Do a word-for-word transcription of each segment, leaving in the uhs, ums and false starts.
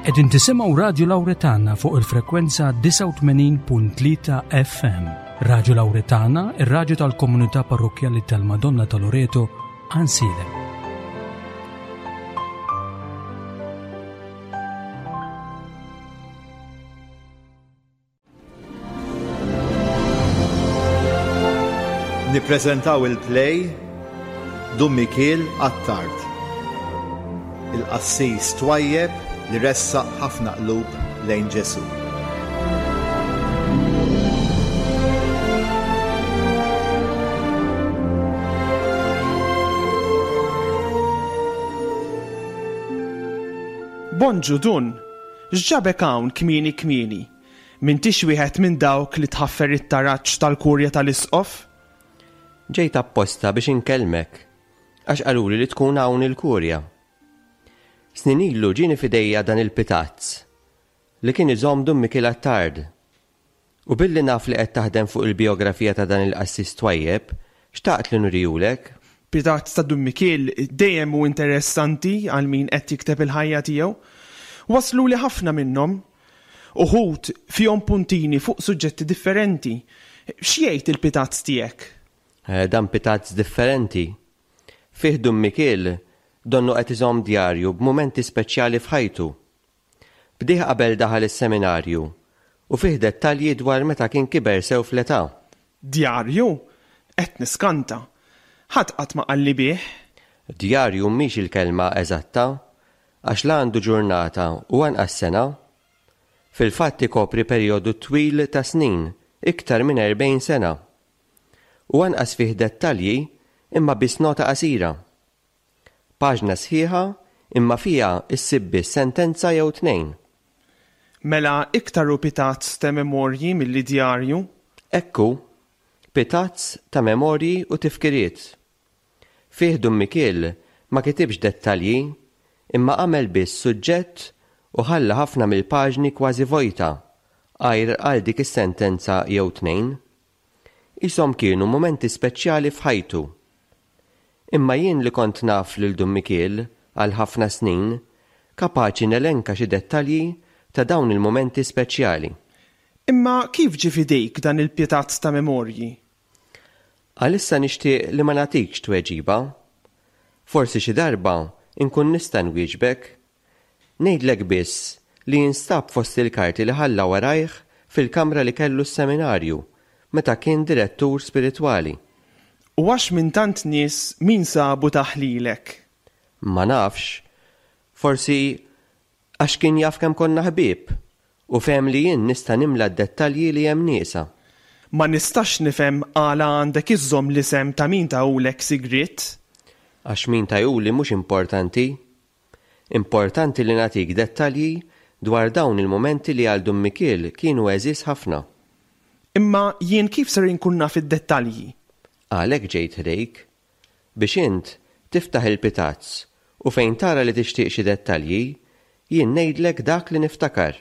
Qegħdin tisimgħu Radju Lawretana fuq il-frekwenza disgħa u tmenin punt tlieta F M. Radju Lawretana, ir-radju tal-komunità parrokkjali tal-Madonna ta' Loreto, Għajnsielem. Nippreżentaw il-play Dun Mikiel Attard, il-qassis twajjeb li ressaq ħafna qlub lejn Ġesu. Bonġu Dun, x'ġabek hawn kmieni kmieni? M'intix wieħed minn dawk li tħaffer it-taraġ tal-kurja tal-isqof? Ġejt apposta biex inkellmek, għax qaluli li tkun hawn il-kurja. Snin ilu ġieni fidejja dan il-pitazz li kien iżomm Dun Mikiel Attard. U billi naf li qed taħdem fuq il-biografija ta' dan il-qassis twajjeb, xtaqt li nurihulek. Pitazz ta' Dun Mikiel dejjem hu interessanti għal min qed jikteb il-ħajja tiegħu. Waslu li ħafna minnhom. Uħud fihom puntini fuq suġġetti differenti. X'jgħid il-pitazz tiegħek? Eh, dan pitazz differenti. Fih Dun Mikiel donnu qed iżomm djarju b'mumenti speċjali f'ħajtu. Bdieh qabel daħal is-seminarju u fih dettalji dwar meta kien kiber sew fl-età. Djarju? Qed niskanta. Ħadd qatt ma qalli bih. Djarju mhix il-kelma eżatta, għax la għandu ġurnata u anqas sena. Fil-fatt ikopri perjodu twil ta' snin, iktar minn erbgħin sena. U anqas fih dettalji imma biss nota qasira. Paġna sħiħa imma fiha issib biss sentenza jew tnejn. Mela iktar hu pitazz ta' memorji milli djarju? Ekku, pitazz ta' memorji u tifkiriet. Fih Dun Mikiel ma kitibx dettalji imma għamel biss suġġett u ħalla ħafna mill-paġni kważi vojta, għajr għal dik is-sentenza jew tnejn. Ishom kienu mumenti speċjali f'ħajtu. Imma jien li kont naf lil Dun Mikiel għal ħafna snin, kapaċi nelenka xi dettalji ta' dawn il-mumenti speċjali. Imma kif ġie f'idejk dan il-pitazz ta' memorji? Għalissa nixtieq li ma nagħtikx tweġiba. Forsi xi darba nkun nista' nwieġbek. Ngħidlek biss li jinstab fost il-karti li ħalla warajh fil-kamra li kellu s-seminarju meta kien direttur spiritwali. U għax minn tant nies min sabu taħlilek? Ma nafx, forsi għax kien jaf kemm konna ħbieb u fehem li jien nista' nimla d-dettalji li hemm nieqsa. Ma nistax nifhem għala għandek iżżomm l-isem ta' min tahulek sigriet. Għax min tahuli mhux importanti. Importanti li nagħtik dettalji dwar dawn il-mumenti li għal Dun Mikiel kienu għeżież ħafna. Imma jien kif ser inkun naf id-dettalji? Għalhekk ġejt ħdejk, biex int tiftaħ il-pitazz u fejn tara li tixtieq xi dettalji, jien ngħidlek dak li niftakar.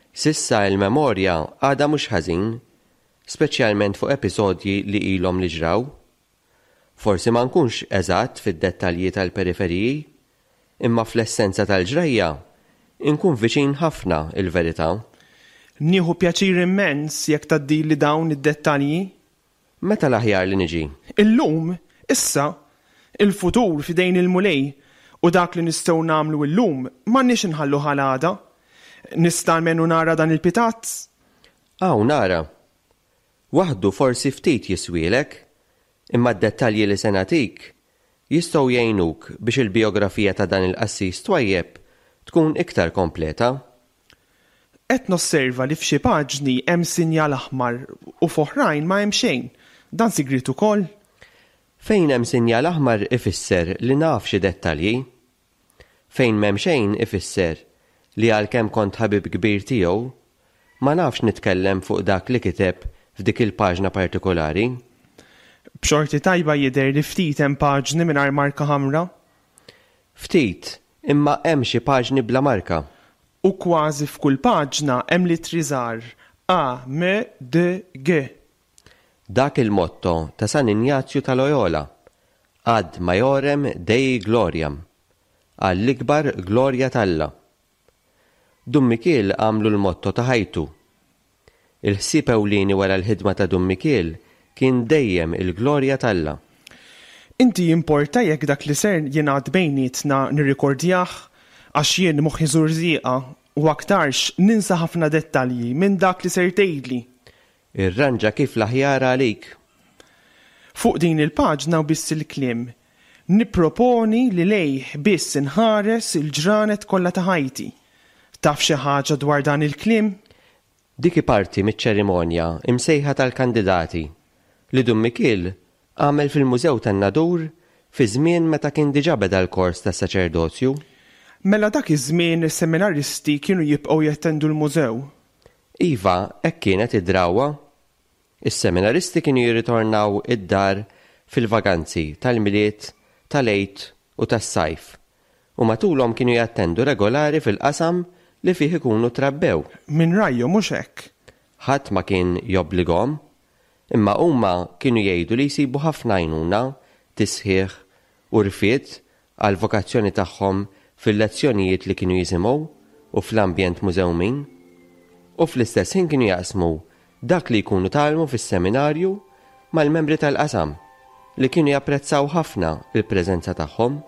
Sissa il-memorja għadha mhux ħażin, speċjalment fuq episodji li ilhom li ġraw. Forsi ma nkunx eżatt fid-dettalji tal-periferiji, imma fl-essenza tal-ġrajja inkun viċin ħafna il-verità. Nieħu pjaċir immens jekk tgħaddili dawn id-dettalji. Meta l-aħjar li niġi? Illum, issa, il-futur f'idejn il-Mulej u dak li nistgħu nagħmlu illum m'għandniex inħallu ħalada. Nista' almenu nara dan il-pitazz? Aw, nara. Waħdu forsi ftit jiswielek, imma d-dettalji li se nagħtik jistgħu jgħinuk biex il-biografija ta' dan il-qassis twajjeb tkun iktar kompleta. Qed nosserva li f'xi paġni hemm sinjal aħmar u f'oħrajn ma hemm xejn. Dan sigriet ukoll? Fejn hemm sinjal aħmar ifisser li naf xi dettalji. Fejn m'hemm xejn ifisser li għalkemm kont ħabib kbir tiegħu, ma nafx nitkellem fuq dak li kiteb f'dik il-paġna partikolari. B'xorti tajba jidher li ftit hemm paġni mingħajr marka ħamra. Ftit, imma hemm xi paġni bla marka. U kważi f'kull paġna hemm litri żgħar A, M, D, G. Dak il-motto ta' San Injazju ta' Loyola, ad maiorem Dei gloriam, għall-ikbar glorja t'Alla. Dun Mikiel għamlu l-motto ta' ħajtu. Il-ħsieb ewlieni wara l-ħidma ta' Dun Mikiel kien dejjem il-glorja t'Alla. Inti jimporta jekk dak li ser jingħad bejnietna nirrikordjah għax jien moħħi żurżieqa u aktarx ninsa ħafna dettalji minn dak li ser tgħidli. Irranġa kif l-aħjar għalik. Fuq din il-paġna u biss il-kliem. Nipproponi li lejh biss inħares il-ġranet kollha ta' ħajti. Taf xi ħaġa dwar dan il-kliem? Dik hi parti miċ-ċerimonja imsejħa tal-kandidati li Dun Mikiel għamel fil-Mużew tan-Nadur fi żmien meta kien diġà beda l-kors tas-saċerdozju. Mela dak iż-żmien is-seminaristi kienu jibqgħu jattendu l-mużew. Iva, hekk kienet id-drawwa. Is-seminaristi kienu jirritornaw id-dar fil-vaganzi tal-Milied, tal-Għid u tas-sajf u matulhom kienu jattendu regolari fil-qasam li fih ikunu trabbew. Minn rajhom mhux hekk. Ħadd ma kien jobbligahom, imma huma kienu jgħidu li jsibu ħafna għajnuna, tisħiħ u rfid għall-vokazzjoni tagħhom fil-lezzjonijiet li kienu jisimgħu u fl-ambjent mużewmin. U fl-istess ħin kienu jaqsmu dak li jkunu tgħallmu fis-seminarju mal-membri tal-qasam li kienu japprezzaw ħafna il-preżenza tagħhom.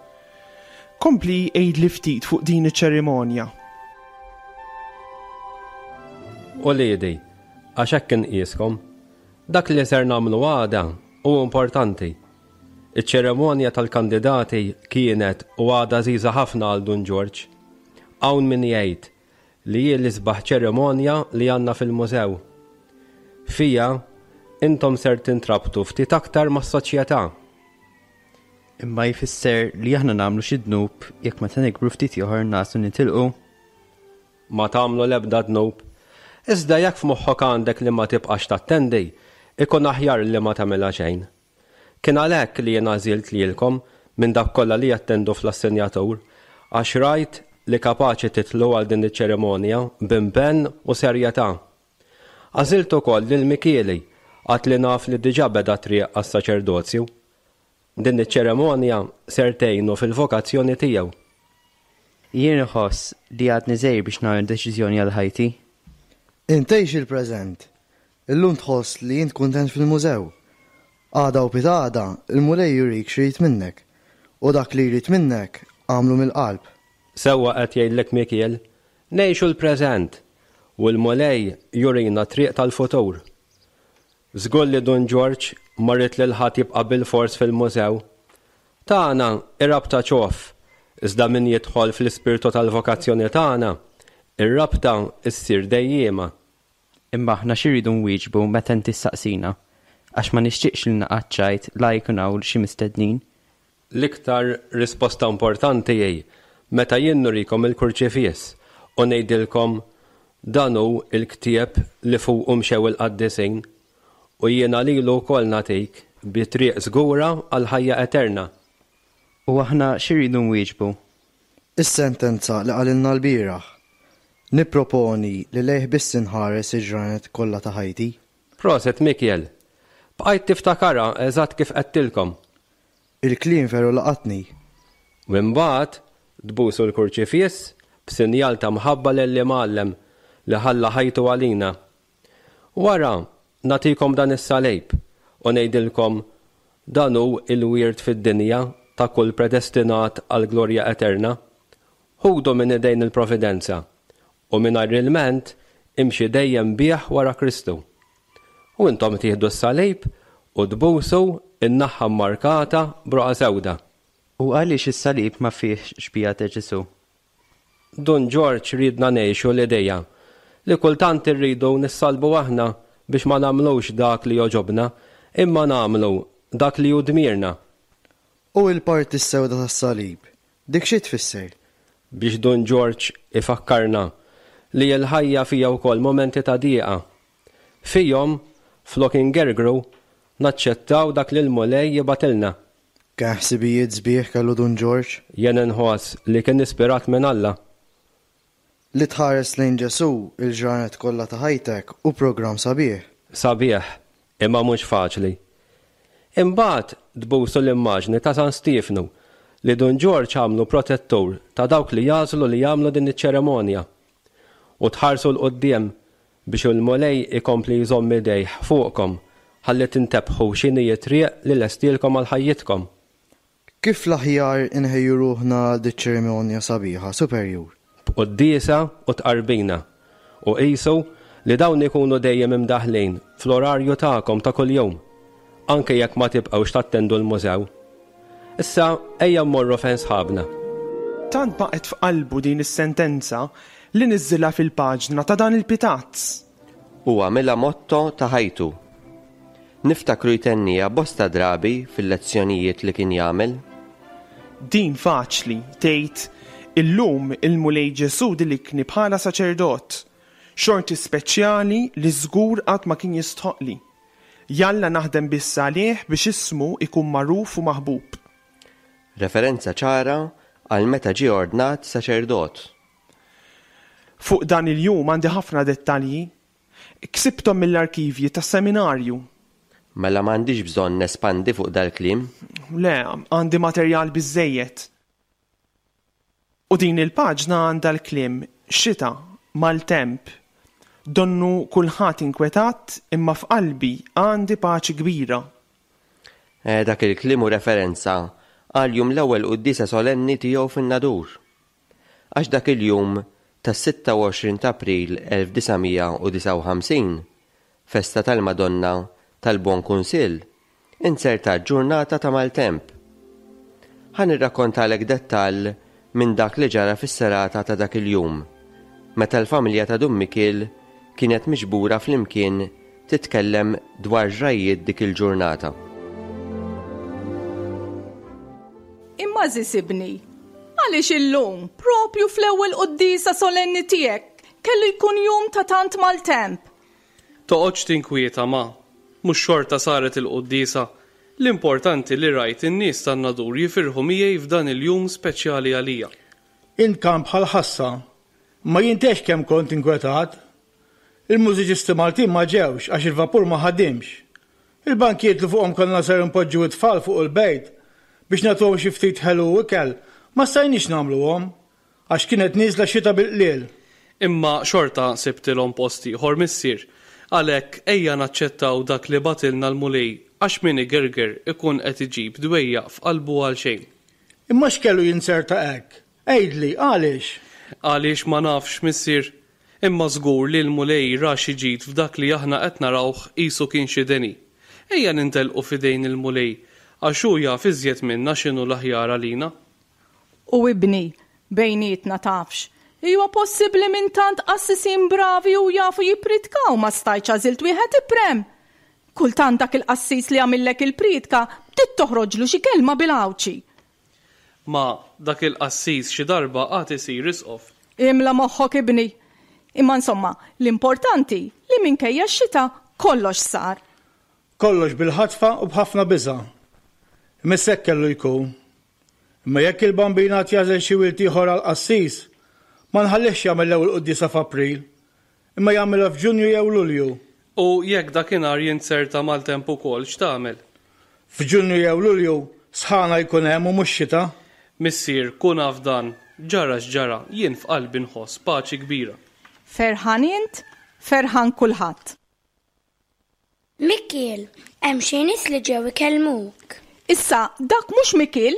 Kompli għidli ftit fuq din iċ-ċerimonja. Uliedi, għax hekk inqiskom, dak li ser nagħmlu għada hu importanti. Iċ-ċerimonja tal-kandidati kienet u għadha għażiża ħafna għal Dun Ġorġ. Hawn min jgħid li hi l-isbaħ ċerimonja li għandna fil-mużew. Fija, intom ser tintrabtu ftit aktar mas-soċjetà. Imma jfisser li aħna nagħmlu xi dnub jekk meta nikbru ftit ieħor nagħżlu nitilqu? Ma tagħmlu l-ebda dnub. Iżda jekk f'moħħok għandek li ma tibqax tattendi, ikun aħjar li ma tagħmilha xejn. Kien għalhekk li jien għażilt lilkom minn dak kollha li jattendu fl-assenjatur, għax rajt li kapaċi titlu għal din iċ-ċerimonja b'impenn u serjetà. Għażilt ukoll lil Mikieli għad li naf li diġà beda triq għas-saċerdozju. Din iċ-ċerimonja ser tgħinu fil-vokazzjoni tiegħu. Jien inħoss li għadni żgħir biex nagħmel deċiżjoni għal ħajti. Int għix il-preżent. Illum tħoss li int kuntent fil-mużew. Għada u pitgħada, il-Mulej jurik x'irid minnek. U dak li jrid minnek għamlu mill-qalb. Sewwa qed jgħidlek Mikiel, ngħixu l-preżent u l-Mulej jurina triq tal-futur. Żgur li Dun Ġorġ ma ried lil ħadd jibqa' bil-fors fil-mużew. Tagħna ir-rabta ċoff, iżda min jidħol fl-ispirtu tal-vokazzjoni tagħna, ir-rabta ssir dejjiema. Imma aħna xi rridu nwieġbu meta inti ssaqsina, għax ma nixtieqx li naqa' ċajt la jkun hawn xi mistednin. L-iktar risposta importanti hi meta jien nurikom il-kurċifiss u ngħidilkom dan hu l-ktieb li fuqu mxew il-qaddisin u jiena lilu wkoll nagħtik bi triq żgura għal ħajja eterna. U aħna xi rridu nwieġbu? Is-sentenza li qalilna l-bieraħ. Nipproponi li lejh biss inħares il-ġranet kollha ta' ħajti. Proset Mikiel, bqajt tiftakarha eżatt kif qedtilkom. Il-kliem veru laqatni. U mbagħad tbusu l-kurċifiss b'sinjal ta' mħabba lill-imgħallem li ħalla ħajtu għalina. Wara nagħtikom dan is-salib u ngħidilkom dan hu l-wirt fid-dinja ta' kull predestinat għal glorja eterna. Ħudu minn idejn il-providenza u mingħajr ilment imxi dejjem bih wara Kristu. U intom tieħdu s-salib u tbusu in-naħa mmarkata b'roqgħa sewda. U għaliex is-salib ma fihx xbieha ta' Ġesù? Dun Ġorġ ridna ngħixu l-idea li kultant irridu nissalbu aħna biex ma nagħmlux dak li jogħġobna, imma nagħmlu dak li hu dmirna. U l-parti s-sewda tas-salib, dik xi tfisser? Biex Dun Ġorġ ifakkarna li l-ħajja fija wkoll momenti ta' dieqa. Fihom, flok ingergru, naċċettaw dak li l-Mulej jibgħatilna. Kemm ħsibijiet sbieħ kellu Dun Ġorġ? Jien inħoss li kien ispirat minn Alla. Li tħares lejn Ġesù il-ġranet kollha ta' ħajtek u programm sabiħ. Sabiħ, imma mhux faċli. Imbagħad tbusu l-immaġni ta' San Stiefnu li Dun Ġorġ għamlu protettur ta' dawk li jagħżlu li jagħmlu din iċ-ċerimonja. u tħarsu 'l quddiem biex il-Mulej ikompli jżomm idejh fuqkom ħalli tintebħu x'inhi t-triq li lestielkom għal ħajjitkom. Kif l-aħjar inħejju ruħna għal diċ-ċerimonja sabiħa, Superjur? B'quddiesa u tqarbina, u qisu li dawn ikunu dejjem imdaħħlin fl-orarju tagħkom ta' kuljum, anke jekk ma tibqgħux tattendu l-mużew. Issa ejja mmorru fejn sħabna. Tant baqgħet f'qalbu din is-sentenza li niżżilha fil-paġna ta' dan il-pitazz. U għamilha motto ta' ħajtu. Niftakru jtenniha bosta drabi fil-lezzjonijiet li kien jagħmel. Din faċli tgħid illum il-Mulej Ġesù dilikni bħala saċerdot, xorti speċjali li żgur qatt ma kien jistħoqli. Jalla naħdem biss għalih biex ismu ikun magħruf u maħbub. Referenza ċara għal meta ġie ordnat saċerdot. Fuq dan il-jum għandi ħafna dettalji. Ksibthom mill-arkivji tas-seminarju. Mela m'għandix bżonn nespandi fuq dal-kliem. Le, għandi materjal biżżejjed. U din il-paġna għandha l-kliem xita, maltemp. Donnu kulħadd inkwetat imma f'qalbi għandi paċi kbira. E, dak il-kliem hu referenza għal jum l-ewwel quddiesa solenni tiegħu fin-Nadur. Għax dak il-jum tas-sitta u għoxrin ta' April elf disa' mija u disgħa u ħamsin, festa tal-Madonna tal-Bon Kunsill, inzertat ġurnata ta' maltemp. Ħa nirrakkontalek dettall minn dak li ġara fis-serata ta' dak il-jum, meta l-familja ta' Dun Mikiel kienet miġbura flimkien titkellem dwar ġrajjiet dik il-ġurnata. Imma żisibni, għaliex illum, propju fl-ewwel quddiesa solenni tiegħek, kellu jkun jum ta' tant maltemp? Toqgħodx tinkwieta ma, mhux xorta saret il-quddiesa. L-importanti li rajt in-nies tan-Nadur jifirħu miegħi f'dan il-jum speċjali għalija. Int kan bħal ħassa, ma jintex kemm kont inkwetat. Il-mużiċisti Maltin ma ġewx għax il-vapur ma ħadimx. Il-bankijiet li fuqhom konna ser npoġġu it-tfal fuq il-bejt biex nagħtuhom xi ftit ħelu u ikel, ma stajniex nagħmluhom għax kienet nieżla xita bil-qliel. Imma xorta sibtilhom post ieħor missier. Għalhekk ejja naċċettaw dak li batilna l-Mulej għax min igerger ikun qed iġib dwejjaq f'qalbu għal xejn. Imma x'kellu jinserta hekk? Għidli, għaliex? Għaliex ma nafx, missier. Imma żgur li l-Mulej ra xi ġid f'dak li aħna qed narawh qisu kien xi deni. Ejja nintelqu f'idejn il-Mulej għax hu jaf iżjed minna x'inhu l-aħjar għalina. U ibni, bejnietna tafx, huwa possibbli minn tant qassisin bravi u jafu jippritkaw ma stajtx għażilt wieħed iprem. Kultant dak il-qassis li għamillek il-pritka bdiet toħroġlu xi kelma bil-Għawdxi. Ma dak il-qassis xi darba għad isir isqof. Imla moħħok ibni. Imma insomma, l-importanti li minkejja x-xita kollox sar. Kollox bil-ħatfa u b'ħafna biża'. Imma hekk kellu jkun. Imma jekk il-bambina tjażel xi wild ieħor għall-qassis, ma nħallihx jagħmel l-ewwel quddiesa f'April, imma jagħmilha f'Ġunju jew Lulju. U jekk dakinhar jinzerta maltemp ukoll x'tagħmel? F'Ġunju jew Lulju sħana jkun hemm u mhux xita. Missier, kun af dan, ġara x'ġara, jien f'qalbi nħoss paċi kbira. Ferħan int, ferħan kulħadd. Mikiel, hemm xi nies li ġew ikellmuk. Issa dak mhux Mikiel,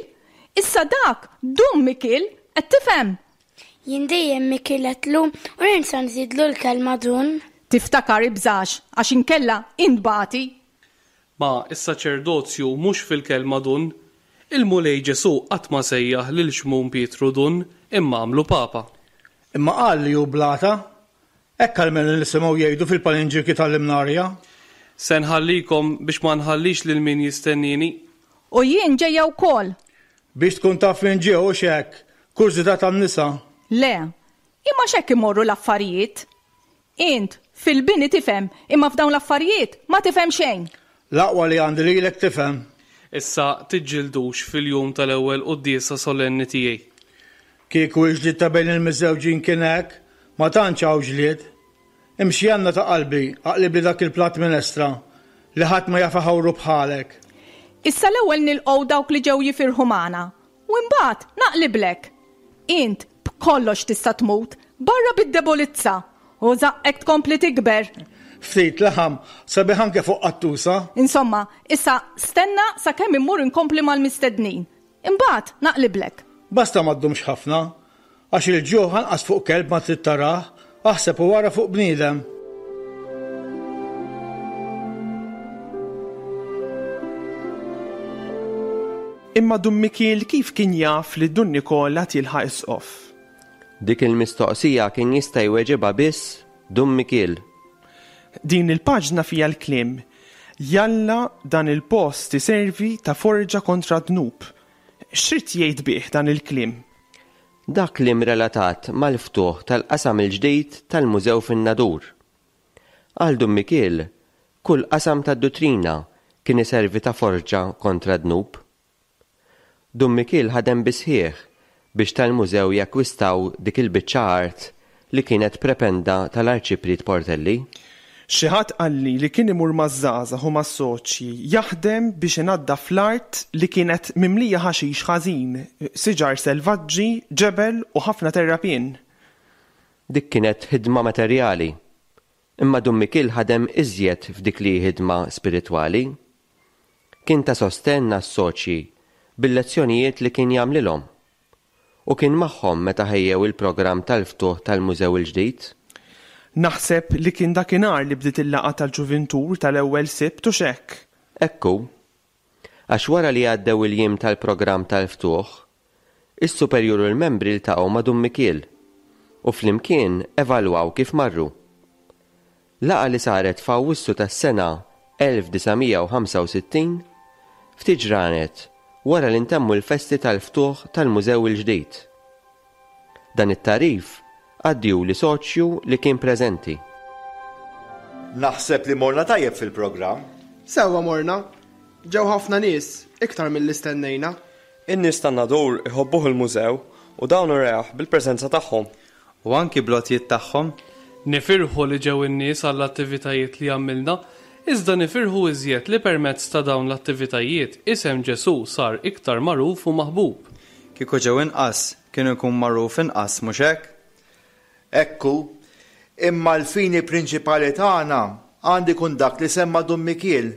issa dak Dun Mikiel, qed tifhem? Jien dejjem Mikiel għedtlu u ninsa nżidlu l-kelma Dun. Tiftakar ibżax għax inkella intbati. Ma is-saċerdozju mhux fil-kelma Dun. Il-Mulej Ġesu qatt ma sejjaħ lil Xmun Pietru Dun imma għamlu Papa. Imma qal li hu blata. Hekk almenu nisimgħu jgħidu fil-palinġirki tal-Imnarja. Se nħallikom biex ma nħallix lil min jistennini. U jien ġejja wkoll. Biex tkun taf min ġew u x'hekk, kurżità tan-nisa. Le, imma x'hekk imorru l-affarijiet. Int fil-bini tifhem, imma f'dawn l-affarijiet ma tifhem xejn. L-aqwa li għandi lilek tifhem. Issa tiġġildux fil-jum tal-ewwel quddiesa solenni tiegħi. Kieku l-ġlied ta' bejn il-miżewġin kien hekk, ma tantx hawn ġlied. Imxi għandna ta' qalbi, aqlib li dak il-platt minestra li ħadd ma jaf iħawru bħalek. Issa l-ewwel nilqgħu dawk li ġew jifirħu magħna u mbagħad naqliblek. Int b'kollox tista' tmut barra bid-debolizza U żaqqek tkompli tikber. Ftit laħam sabiħ anke fuq qattusa. Insomma, issa stenna sakemm immur inkompli mal-mistednin. Imbagħad naqliblek. Basta ma ddumx ħafna, għax il-ġuħ anqas fuq kelb ma trid tarah, aħseb u wara fuq bniedem. Imma Dun Mikiel kif kien jaf li Dun Nikola tilħaq isqof? Dik il-mistoqsija kien jista' jweġibha biss Dun Mikiel. Din il-paġna fiha l-kliem Jalla dan il-post iservi ta' forġa kontra dnub. X'rid jgħid bih dan il-kliem? Dak kliem relatat mal-ftuħ tal-qasam il-ġdid tal-Mużew fin-Nadur. Għal Dun Mikiel, kull qasam tad-duttrina kien iservi ta' forġa kontra dnub. Dun Mikiel ħadem bisħieħ biex tal-mużew jakkwistaw dik il-biċċa art li kienet prependa tal-Arċipriet Portelli. Xi ħadd qalli li kien imur maż-żgħażagħ u mas-soċji jaħdem biex inaddaf l-art li kienet mimlija ħaxix ħażin, siġar selvaġġi, ġebel u ħafna terrapien. Dik kienet ħidma materjali, imma Dun Mikiel ħadem iżjed f'dik li ħidma spiritwali. Kien ta' sostenn għas-soċji bil-lezzjonijiet li kien jagħmlilhom u kien magħhom meta ħejjew il-programm tal-ftuħ tal-mużew il-ġdid. Naħseb li kien dakinhar li bdiet il-laqgħa tal-ġuvintur tal-ewwel Sibt u x'hekk. Ekku, għax wara li għaddew il-jiem tal-programm tal-ftuħ, is-superjur u l-membri ltaqgħu ma' Dun Mikiel u flimkien evalwaw kif marru. Laqgħa li saret f'Awwissu tas-sena elf disa' mija u ħamsa u sittin, ftit ġranet wara li ntemmu l-festi tal-ftuħ tal-mużew il-ġdid. Dan it-tarif għaddiju li soċju li kien preżenti. Naħseb li morna tajjeb fil-programm. Sewwa morna. Ġew ħafna nies, iktar mill-li stennejna. In-nies tan-Nadur iħobbuh il-mużew u dawn ureħ bil-preżenza tagħhom. U anki blotjiet tagħhom. Nifirħu li ġew in-nies għall-attivitajiet li għamilna, iżda nifirħu iżjed li permezz ta' dawn l-attivitajiet isem Ġesu sar iktar magħruf u maħbub. Kieku ġew inqas, kienu jkun magħruf inqas, mhux hekk? Ekku, imma l-fini prinċipali tagħna għandi jkun dak li semma Dun Mikiel.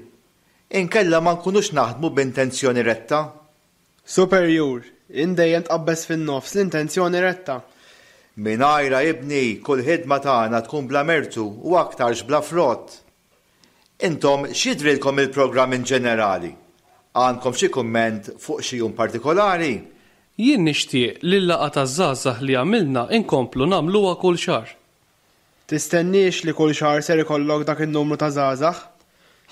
Inkella ma nkunux naħdmu b'intenzjoni retta. Superjur, indejjem tqabbeż fin-nofs l-intenzjoni retta. Mingħajra ibni, kull ħidma tagħna tkun bla mertu u aktarx bla frott. Intom x'jidrilkom il-programm in ġenerali? Għandkom xi kumment fuq xi jum partikolari? Jien nixtieq li l-laqgħa taż-żgħażagħ li għamilna inkomplu nagħmluha kull xahar. Tistenniex li kull xahar ser ikollok dak in-numru ta' żgħażagħ?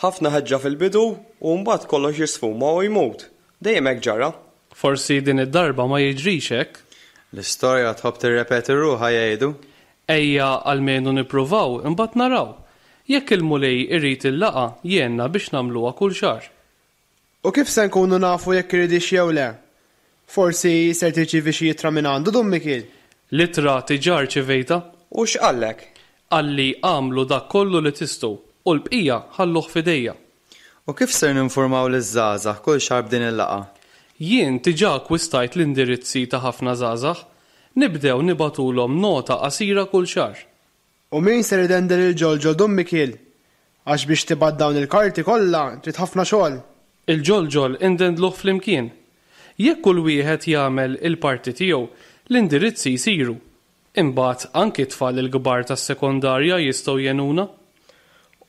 Ħafna ħeġġa fil-bidu u mbagħad kollox jisfuma u jmut. Dejjem hekk ġara. Forsi din id-darba ma jiġrix hekk. L-istorja tħobb tirrepeti ruħha jgħidu. Ejja almenu nippruvaw imbagħad naraw. Jekk il-Mulej irid il-laqgħa jgħinna biex nagħmluha kull xahar. U kif se nkunu nafu jekk iridix jew le? Forsi ser tirċievi xi ittra minn għandu Dun Mikiel. L-ittra diġà rċevejta. U x'qallek? Qalli għamlu dak kollu li tistgħu u l-bqija ħalluh f'idejja. U kif ser ninformaw liż-żgħażagħ kull xahar b'din il-laqgħa? Jien diġà akkwistajt l-indirizzi ta' ħafna żgħażagħ. Nibdew nibatulhom nota qasira kull xahar. U min ser idendel il-ġolġol Dun Mikiel? Għax biex tibgħat dawn il-karti kollha trid ħafna xogħol. Il-ġolġol indendluh flimkien. Jekk kull wieħed jagħmel il-parti tiegħu, l-indirizzi jsiru. Imbagħad anki tfal il-kbar tas-sekondarja jistgħu jgħinuna.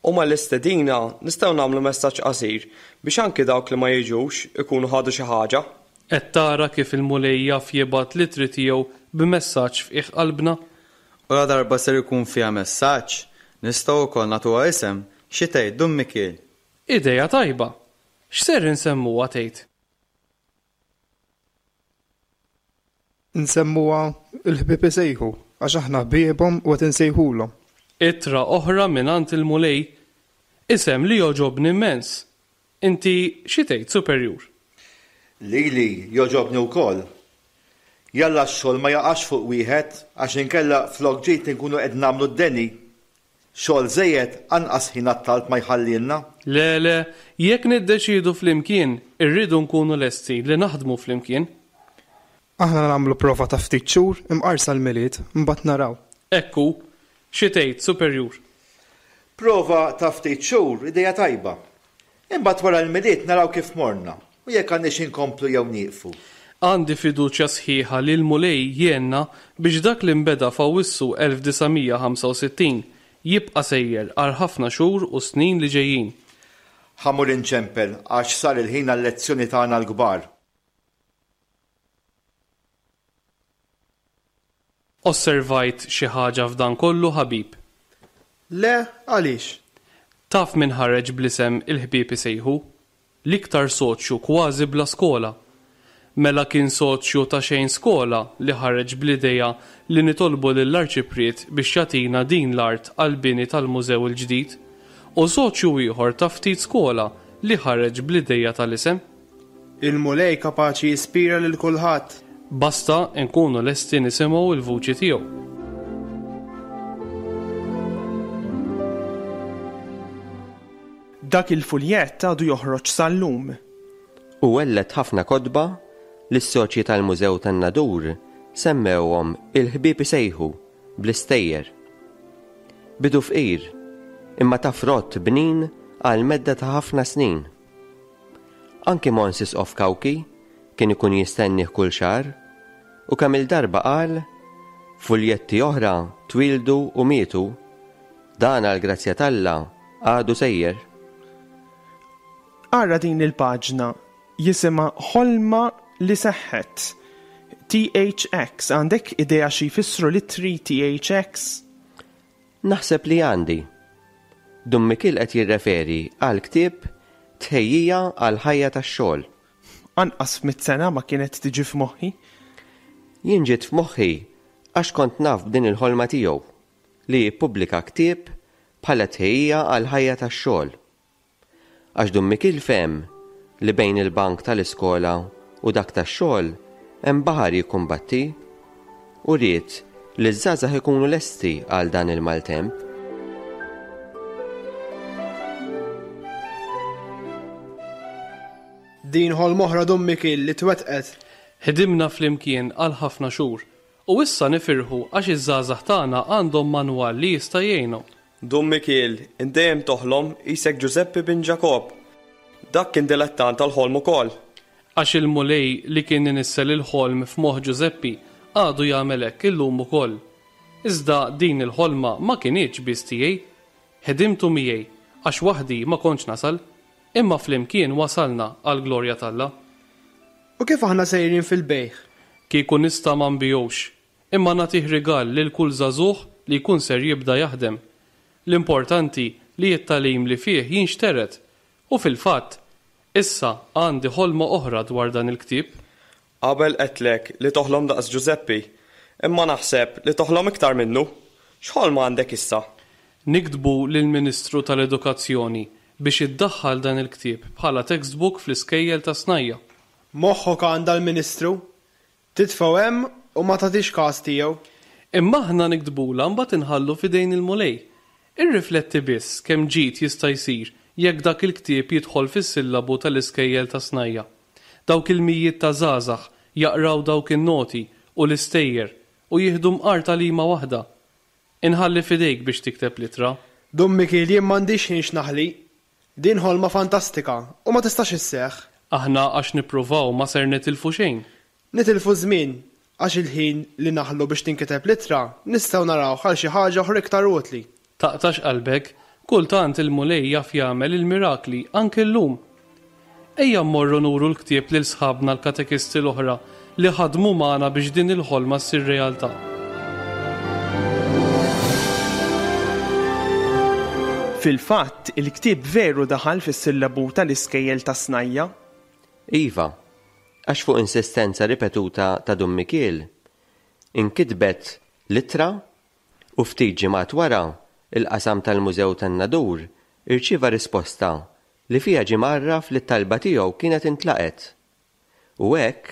U mal-istedina nistgħu nagħmlu messaġġ qasir biex anki dawk li ma jiġux ikunu ħadu xi ħaġa. Qed tara kif il-Mulej jaf jibgħat l-ittri tiegħu b'messaġġ f'qiegħ qalbna? U la darba ser ikun fiha messaġġ, nistgħu wkoll nagħtuha isem, xi tgħid Dun Mikiel? Idea tajba. X'ser insemmuha tgħid? Nsemmuha il-ħbieb isejħu, għax aħna ħbiebhom u qed insejħulhom. Ittra oħra mingħand il-Mulej, isem li jogħġobni immens. Inti xi tgħid, Superjur? Lili jogħġobni wkoll. Jalla x-xogħol ma jaqax fuq wieħed għax inkella flok ġejt inkunu qed nagħmlu d-deni. Xogħol żejjed anqas ħin għat-talb ma jħallilna. Le, le, jekk niddeċiedu flimkien, irridu nkunu lesti li naħdmu flimkien. Aħna nagħmlu prova ta' ftit xhur imqarsa l-Milied, mbagħad naraw. Ekku, Xi tgħid, Superjur? Prova ta' ftit xhur idea tajba. Imbagħad wara l-Milied naraw kif morna u jekk għandniex inkomplu jew nieqfu. Għandi fiduċja sħiħa li l-Mulej jgħinna biex dak li nbeda f'Awwissu elf disa' mija ħamsa u sittin jibqa' sejjer għal ħafna xhur u snin li ġejjin. Ħa mmur inċempel għax sar il-ħin għal-lezzjoni tagħna l-kbar. Osservajt xi ħaġa f'dan kollu, ħabib? Le, għaliex? Taf min ħareġ bl-isem il-ħbieb isejħu? L-iktar soċju kważi bla skola. Mela kien soċju ta' xejn skola li ħareġ bl-idea li nitolbu lill-Arċipriet biex jagħtina din l-art għall-bini tal-mużew il-ġdid, u soċju ieħor ta' ftit skola li ħareġ bl-idea tal-isem. Il-Mulej kapaċi jispira lil kulħadd. Basta nkunu lesti nisimgħu l-vuċi tiegħu. Dak il-fuljett għadu joħroġ sal-lum. U welled ħafna kotba li s-soċji tal-Mużew tan-Nadur semmewhom il-ħbieb isejħu bl-istejjer. Bidu fqir, imma ta' frott bnin għal medda ta' ħafna snin. Anki Mons Isqof Cauchi kien ikun jistennih kull xahar u kemm il-darba qal fuljetti oħra twildu u mietu, dan għal grazzja t'Alla għadu sejjer. Ara din il-paġna jisimha Ħolma li seħħet. T H X, għandek idea xi jfissru l-ittri T H X? Naħseb li għandi. Dun Mikiel qed jirreferi għal ktieb Tħejjija għal ħajja tax-xogħol. Anqas f'mitt sena ma kienet tiġi f'moħħi. Jien ġiet f'moħħi għax kont naf b'din il-ħolma tiegħu li jippubblika ktieb bħala tħejjija għal ħajja tax-xogħol. Għax Dun Mikiel fehem li bejn il-bank tal-iskola u dak tax-xogħol hemm baħar jikkumbatti u ried li ż-żgħażagħ ikunu lesti għal dan il-maltemp. Din ħolma oħra Dun Mikiel li twettqet. Ħdimna flimkien għal ħafna xhur u issa nifirħu għax iż-żgħażagħ tagħna għandhom manwal li jista' jgħinhom. Dun Mikiel, int dejjem toħlom isek Ġużeppi bin Ġakob. Dak kien dilettant tal-ħolm ukoll. Għax il-Mulej li kien inissel il-ħolm f'moħħ Ġużeppi għadu jagħmel hekk illum ukoll. Iżda din il-ħolma ma kinitx biss tiegħi. Ħdimtu miegħi għax waħdi ma kontx nasal, imma flimkien wasalna għall-glorja t'Alla. U kif aħna sejrin fil-bejħ? Kieku nista' ma nbijux, imma nagħtih rigal lil kull żagħżugħ li jkun ser jibda jaħdem. L-importanti li t-tagħlim li fih jinxteret u fil-fatt issa għandi ħolma oħra dwar dan il-ktieb. Qabel qedlek li toħlom daqs Ġużeppi, imma naħseb li toħlom iktar minnu. X'ħolma għandek issa? Niktbu lill-Ministru tal-Edukazzjoni biex iddaħħal dan il-ktieb bħala textbook fl-iskejjel ta' snajja. Moħħok għandha l-Ministru, titfgħu hemm u ma tagħtix każ tiegħu. Imma aħna niktbula mbagħad inħallu f'idejn il-Mulej. Irrifletti biss kemm ġid jista' jsir jekk dak il-ktieb jidħol fis-sillabu tal-iskejjel ta' snajja. Dawk il-mijiet ta' żgħażagħ jaqraw dawk in-noti u l-istejjer u jieħdu mqar tagħlima waħda. Inħalli f'idejk biex tikteb l-ittra. Dun Mikiel, jien m'għandix ħin x'naħli. Din ħolma fantastika u ma tistax isseħħ. Aħna għax nippruvaw ma ser nitilfu xejn. Nitilfu żmien għax il-ħin li naħlu biex tinkiteb l-ittra nistgħu naraw għal xi ħaġa oħra iktar utli. Taqtax qalbek, kultant il-Mulej jaf jagħmel il-mirakli anke llum. Ejja mmorru nuru l-ktieb lil sħabna l-katekisti l-oħra li ħadmu magħna biex din il-ħolma ssir realtà. Fil-fatt, il-ktieb veru daħal fis-sillabu tal-iskejjel ta' snajja. Iva, għax fuq insistenza ripetuta ta' Dun Mikiel, inkitbet l-ittra u ftit ġimgħat wara il-qasam tal-Mużew tan-Nadur irċieva risposta li fiha ġie mgħarraf li t-talba tiegħu kienet intlaqet. U hekk,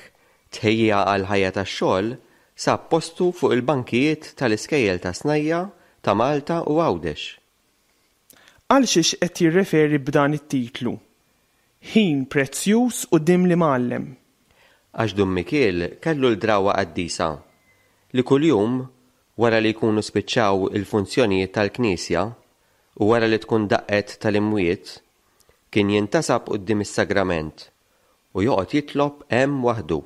tħejjija għal ħajja tax-xogħol sab postu fuq il-bankijiet tal-iskejjel ta' snajja ta' Malta u Għawdex. Għal xiex qed jirreferi b'dan it-titlu? Ħin prezzjuż quddiem l-imgħallem. Għax Dun Mikiel kellu l-drawwa qaddisa li kuljum wara li jkunu spiċċaw il-funzjonijiet tal-Knisja u wara li tkun daqqet tal-imwiet, kien jintasab quddiem is-sagrament u joqgħod jitlob hemm waħdu.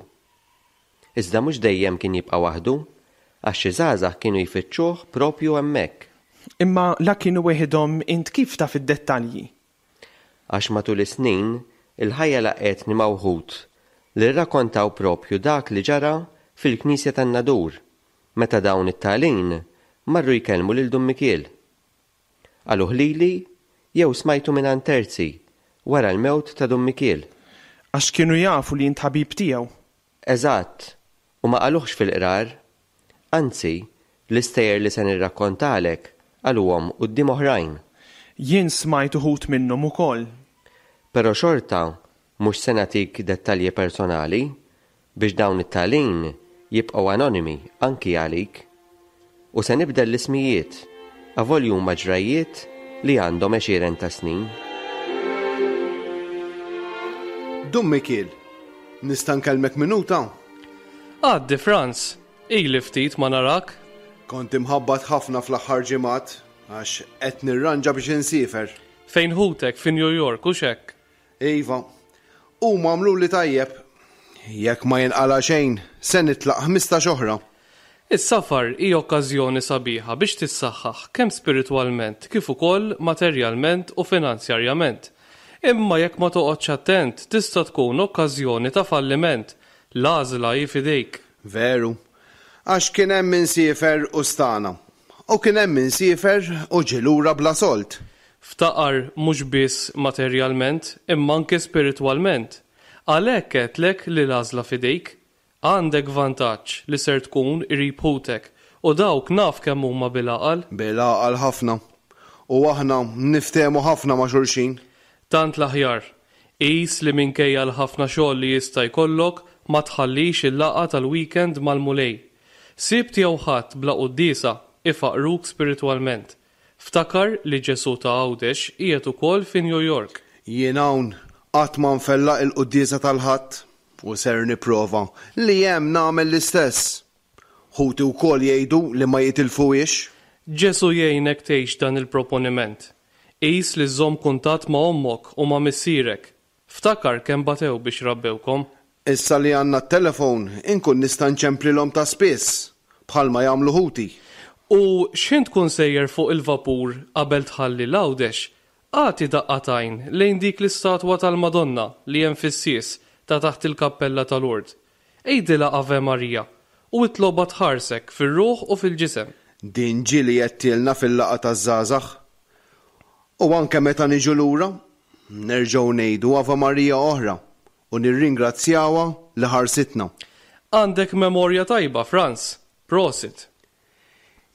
Iżda mhux dejjem kien jibqa' waħdu, għax xi żgħażagħ kienu jfittxuh propju hemmhekk. Imma la kienu weħidhom int kif taf id-dettalji? Għax matul is-snin il-ħajja laqgħetni ma' wħud li rrakkontaw propju dak li ġara fil-Knisja tan-Nadur meta dawn it-talin marru jkellmu lil Dun Mikiel. Qaluh lili jew smajtu mingħand terzi wara l-mewt ta' Dun Mikiel. Għax kienu jafu li int ħabib tiegħu. Eżatt, u ma qaluhx fil-qrar. Anzi, l-istejjer li se nirrakkontalek qaluhom quddiem oħrajn. Jien smajt uħud minnhom ukoll. Però xorta mhux se nagħtik dettalji personali biex dawn it-talin jibqgħu anonimi anki għalik. U se nibdel l-ismijiet, avolja huma ġrajjiet li għandhom għexieren ta' snin. Dun Mikiel, nista' nkellmek minuta? Għaddi, Franz, ili ftit ma narak. Kont imħabbat ħafna fl-aħħar ġimgħat għax qed nirranġa biex insiefer. Fejn ħutek fi New York u xek? Iva, huma għamluli tajjeb. Jekk ma jinqala xejn, se nitlaq ħmistax oħra. Is-safar hi okkażjoni sabiħa biex tissaħħaħ kemm spiritwalment kif ukoll materjalment u finanzjarjament. Imma jekk ma toqgħodx attent tista' tkun okkażjoni ta' falliment. L-għażla hi f'idejk. Veru. Għax kien hemm min siefer u stana. U kien hemm min siefer u ġie lura bla sold. Ftaqar mhux biss materjalment imma anke spiritwalment. Għalhekk għedtlek li l-għażla f'idejk. Għandek vantaġġ li ser tkun qrib ħutek u dawk naf kemm huma bil-għaqal. Bil-għaqal ħafna. U aħna niftehmu ħafna ma' xulxin. Tant l-aħjar. Qis li minkejja l-ħafna xogħol li jista' jkollok ma tħallix il-laqgħa tal-weekend mal-Mulej. Sibt jew Ħadd bla quddiesa ifaqruk spiritwalment. Ftakar li Ġesù ta' Għawdex qiegħed ukoll fi New York. Jien hawn qatt ma nfellaq il-quddiesa tal-Ħadd u ser nipprova li hemm nagħmel l-istess. Ħuti wkoll jgħidu li ma jitilfuhiex. Ġesù jgħinek tgħix dan il-proponiment. Qis li żżomm kuntatt ma' ommok u ma' missierek. Ftakar kemm batew biex rabbewkom. Issa li għandna t-telefon inkun nista' nċemplilhom ta' spiss, bħalma jagħmlu ħuti. U x'ħin tkun sejjer fuq il-vapur qabel tħalli l-Għawdex, agħti daqqa t'għajn lejn dik l-istatwa tal-Madonna li hemm fis-sies ta' taħt il-kappella ta' Lourdes. Għidilha Ave Maria u itlobha tħarsek fir-ruħ u fil-ġisem. Din ġieli għedtilna fil-laqgħa taż-żgħażagħ. U anke meta niġu lura, nerġgħu ngħidu Ave Maria oħra u nirringrazzjawha li ħarsitna. Għandek memorja tajba, Franz. Prosit.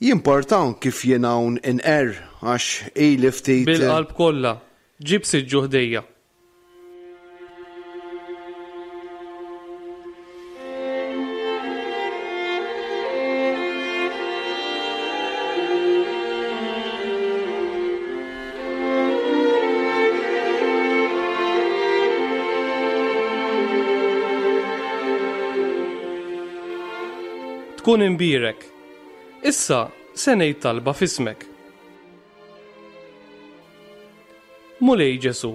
Jimporta kif jien hawn inqerr għax ili ftit Bil-qalb kollha, ġib siġġu ħdejja. Tkun imbierek. Issa se ngħid talba f'ismek. Mulej Ġesù,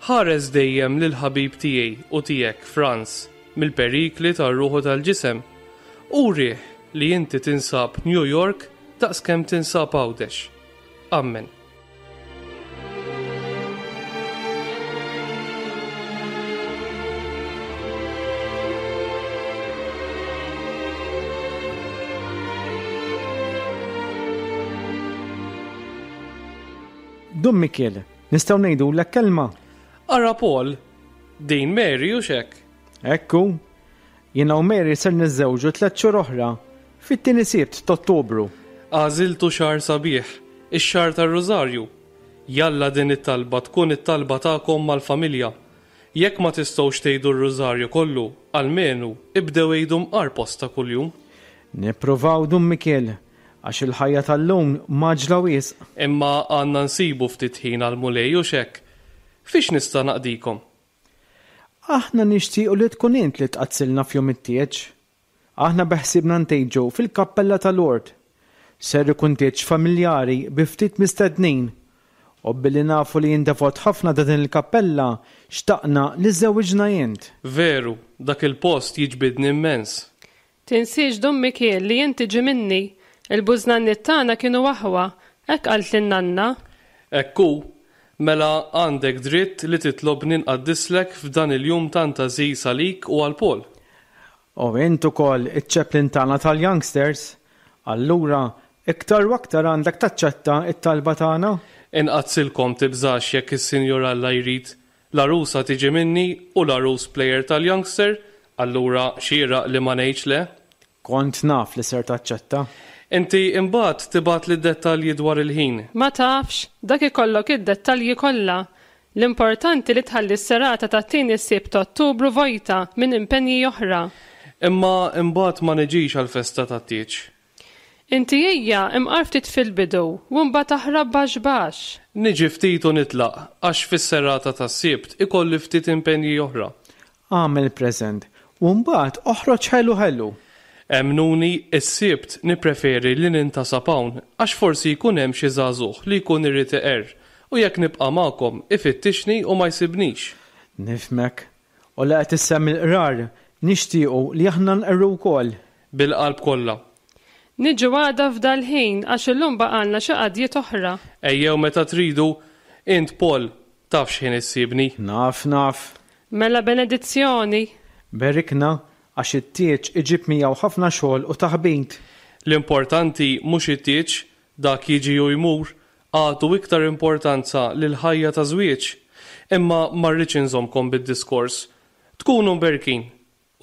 ħares dejjem lil ħabib tiegħi u tiegħek Franz mill-perikli tar-ruħu tal-ġisem. Urih li inti tinsab New York daqskemm tinsab Għawdex. Amen. Dun Mikiel, nistgħu ngħidulek kelma? Ara Paul, din Mary u xek. Ekku, jiena u Mary ser niżżewġu tliet xhur oħra, fit-tieni Sibt t'Ottubru. Għażiltu xahar sabiħ, ix-xahar tar-Rużarju. Jalla din it-talba tkun it-talba tagħkom mal-familja. Jekk ma tistgħux tgħidu r-Rużarju kollu, almenu ibdew għidu mqar posta kuljum. Nippruvaw Dun Mikiel, għax il-ħajja tal-lum mgħaġġla wisq. Imma għandna nsibu ftit ħin għall-Mulej u xek. Fiex nista' naqdikom? Aħna nixtiequ li tkun int li tqaddsilna f'jum it-tieġ. Aħna beħsiebna ntejġu fil-kappella tal-Lord. Ser ikun tieġ familjari bi ftit mistednin. U billi nafu li int devot ħafna ta' din il-kappella, xtaqna li żżewwiġna int. Veru, dak il-post jiġbidni immens. Tinsiex Dun Mikiel li int tiġi minni. Il-bużnanniet tagħna kienu aħwa, hekk qaltli n-nanna. Hekk hu, mela għandek dritt li titlobni nqaddislek f'dan il-jum tant għażiż għalik u għal Paul. U int ukoll iċ-chaplain tagħna tal-youngsters. Allura, iktar u aktar għandek taċċetta t-talba tagħna. Inqaddsilkom tibżax jekk is-Sinjur Alla jrid. L-għarusa tiġi minni u l-għarus player tal-youngster, allura xieraq li ma ngħidx le. Kont naf li ser taċċetta. Inti imbagħad tibgħatli d-dettalji dwar il-ħin. Ma tafx, dak ikollok id-dettalji kollha. L-importanti li tħalli s-serata tat-tieni Sibt ta' Ottubru vojta minn impenji oħra. Imma imbagħad ma niġix għall-festa tat-tieġ. Inti ejja imqar ftit fil-bidu u mbagħad aħrab baxx baxx. Niġi ftit u nitlaq għax fis-serata tas-Sibt ikolli ftit impenji oħra. Agħmel preżent u mbagħad oħroġ ħelu ħelu. Emmnuni, is-Sibt nippreferi li nintasab hawn għax forsi jkun hemm xi żagħżugħ li jkun irid iqerr u jekk nibqa' magħkom ifittixni u ma jsibnix. Nifhmek. U la qed issemmi l-qrar, nixtiequ li aħna nqerru wkoll. Bil-qalb kollha. Niġu għada f'dal-ħin għax illum baqgħalna xi qadjiet oħra. Ejjew meta tridu, int Paul taf x'ħin issibni. Naf, naf. Mela benedizzjoni. Berikna għax it-tieġ iġib miegħu ħafna xogħol u taħbit. L-importanti mhux it-tieġ, dak jiġi u jmur, agħtu iktar importanza lill-ħajja ta' żwieġ. Imma ma rridx inżommkom bid-diskors. Tkunu mberkin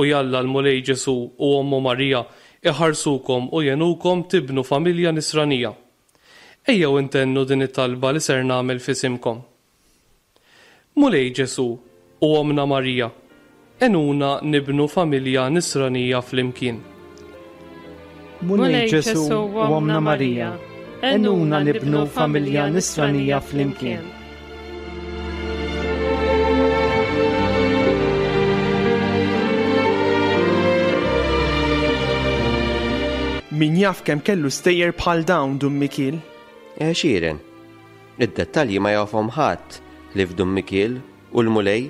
u jalla l-Mulej Ġesù u Ommu Marija iħarsukom u jgħinukom tibnu familja nisranija. Ejjew intennu din it-talba li ser nagħmel f'isimkom. Mulej Ġesù u Ommna Marija, għenuna nibnu familja nisranija flimkien. Mulej Ġesù u Ommna Marija, għenuna nibnu familja nisranija flimkien. Min jaf kemm kellu stejjer bħal dawn Dun Mikiel? Għexieren. Id-dettalji ma jafhom ħadd li f'Dun Mikiel u l-Mulej.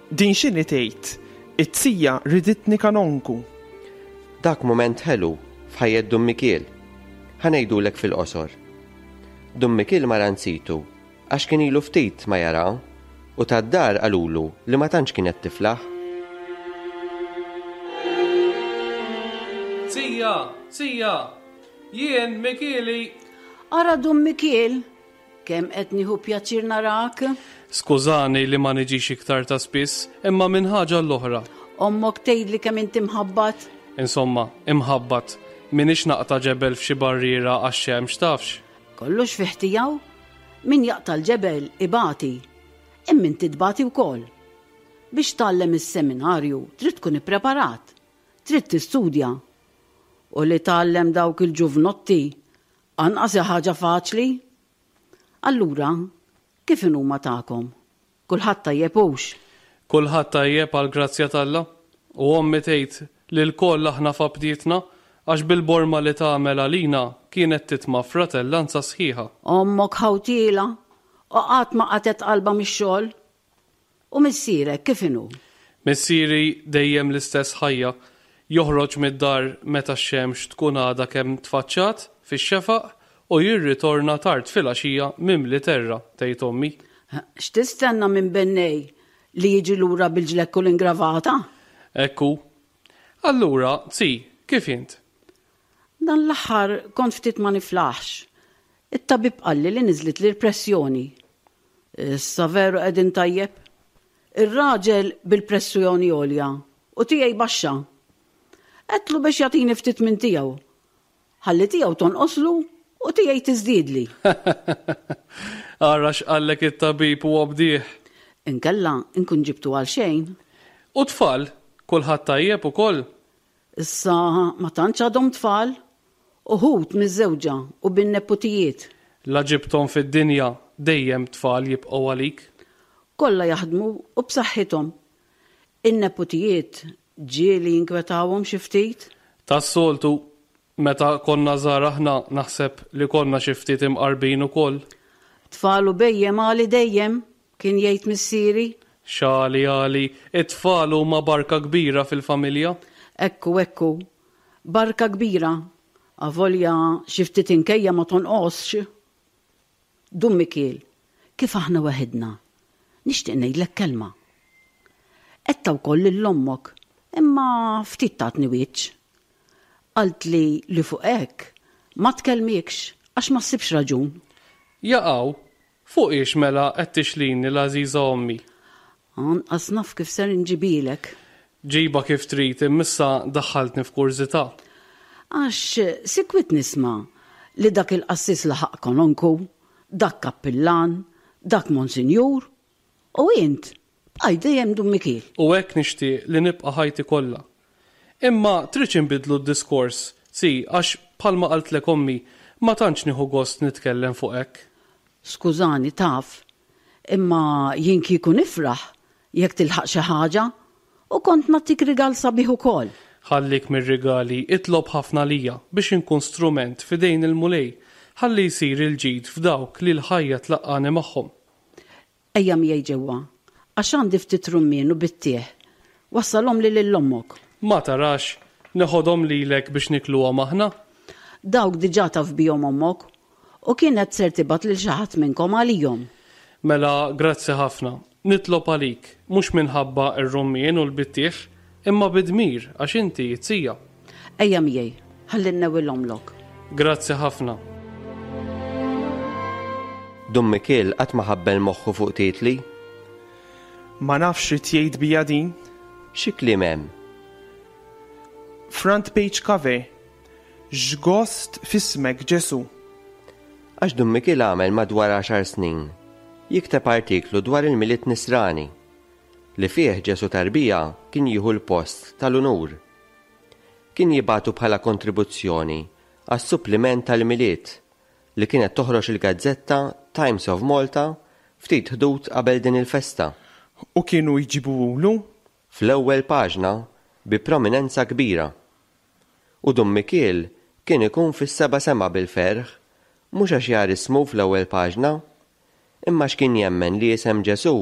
Din x'inhi tgħid? It-tija riditni kanonku. Dak mument ħelu f'ħajjet Dun Mikiel. Ħa ngħidulek fil-qosor. Dun Mikiel mar għand situ għax kien ilu ftit ma jara u tad-dar qalulu li ma tantx kienet tiflaħ. Sija, sija, jien Mikieli. Ara Dun Mikiel, kemm qed nieħu pjaċir narak. Skużani li ma niġix iktar ta' spiss, imma minn ħaġa l-oħra. Ommok tgħidli kemm inti mħabbat. Insomma, imħabbat, minix naqta' ġebel f'xi barriera għax-xemx tafx. Kollox fih tiegħu, min jaqta' l-ġebel ibati, imma inti tbati wkoll. Biex tgħallem is-seminarju trid tkun ippreparat, trid tistudja. U li tgħallem dawk il-ġuvnotti anqas ħaġa faċli. Allura, kif inhuma tagħkom? Kulħadd tajjeb hux? Kulħadd tajjeb għal grazzja t'Alla. U ommi tgħid li lkoll aħna f'abdietna għax bil-borma li tagħmel għalina kienet titma' fratellanza sħiħa. Ommok ħawtiela u qatt ma qatgħet qalbha mix-xogħol. U missierek kif inhu? Missieri dejjem l-istess ħajja. Joħroġ mid-dar meta x-xemx tkun għadha kemm tfaċċat fix-xefaq u jirritorna tard filgħaxija mimli terra, tgħid ommi. X'tistenna minn bennej li jiġi lura bil-ġlekk u l-ingravata? Ekku. Allura, zi, kif int? Dan l-aħħar kont ftit ma niflaħx. It-tabib qalli li niżlit li l-pressjoni. Issa veru qegħdin tajjeb. Ir-raġel bil-pressjoni għolja u tiegħi baxxa. Għedtlu biex jagħtini ftit minn tiegħu. Ħalli tiegħu tonqoslu u tiegħi tiżdiedli. Ara x'qallek it-tabib u obdih. Inkella nkun ġibtu għal xejn. U tfal, kulħadd tajjeb ukoll? Issa ma tantx għadhom tfal. Uħud miż-żewġa u bin-neputijiet. La ġibthom fid-dinja dejjem tfal jibqgħu għalik. Kollha jaħdmu u b'saħħithom. In-neputijiet ġieli jinkwetawhom xi ftit? Tas-soltu. Meta konna żgħar aħna naħseb li konna xi ftit imqarbin ukoll. Tfal u bhejjem għali dejjem, kien jgħid missieri. X'għali għali, it-tfal huma barka kbira fil-familja. Ekku, ekku. Barka kbira. Avolja xi ftit inkejja ma tonqosx. Dun Mikiel, kif aħna weħidna, nixtieq ngħidlek kelma. Għedtha wkoll lil ommok, imma ftit tatni wiċċ. Qaltli li fuq hekk ma tkellmikx għax ma ssibx raġun. Jaqaw, fuq ix mela qed tixlini l-għażiża ommi? Anqas naf kif ser inġibilek. Ġiba kif trid, imma issa daħħaltni f'kurżità. Għax sikwit nisma' li dak il-qassis laħaq kononku, dak kappillan, dak monsinjur, u int bqajt dejjem Dun Mikiel. U hekk nixtieq li nibqa' ħajti kollha. Imma tridx inbiddlu d-diskors, si, għax bħalma qaltlek ommi, ma tantx nieħu gost nitkellem fuq hekk. Skużani, taf, imma jien kieku nifraħ jekk tilħaq xi ħaġa u kont nagħtik rigal sabiħ ukoll. Ħallik mir-rigali, itlob ħafna għalija biex inkun strument f'idejn il-Mulej ħalli jsir il-ġid f'dawk li l-ħajja tlaqqagħni magħhom. Ejja miegħi ġewwa, għax għandi ftit rummien u bittieħ. Wassalhomli lil ommok. Ma tarax, neħodhom lilek biex nikluhom aħna? Dawk diġà taf bihom ommok u kienet ser tibgħat lil xi ħadd minnkom għalihom. Mela grazzi ħafna. Nitlob għalik, mhux minħabba r-rummien u l-bittieħ, imma bi dmir għax inti t-tija. Ejja miegħi, ħalli nnewwilhomlok. Grazzi ħafna. Dun Mikiel qatt ma ħabbel moħħu fuq titli. Ma nafx x'rid jgħid bija din. Xi kliem hemm? Front page cover. X'gost f'ismek Ġesu. Għax Dun Mikiel għamel madwar għaxar snin jikteb artiklu dwar il-Milied Nisrani li fih Ġesu tarbija kien jieħu l-post tal-unur. Kien jibgħatu bħala kontribuzzjoni għas-suppliment tal-Milied li kienet toħroġ il-gazzetta Times of Malta ftit ħdud qabel din il-festa. U kienu jġibuhulu? Fl-ewwel paġna bi prominenza kbira. U Dun Mikiel kien ikun fis-seba' sema bil-ferħ, mhux għax jar ismu fl-ewwel paġna, imma x'kien jemmen li isem Ġesu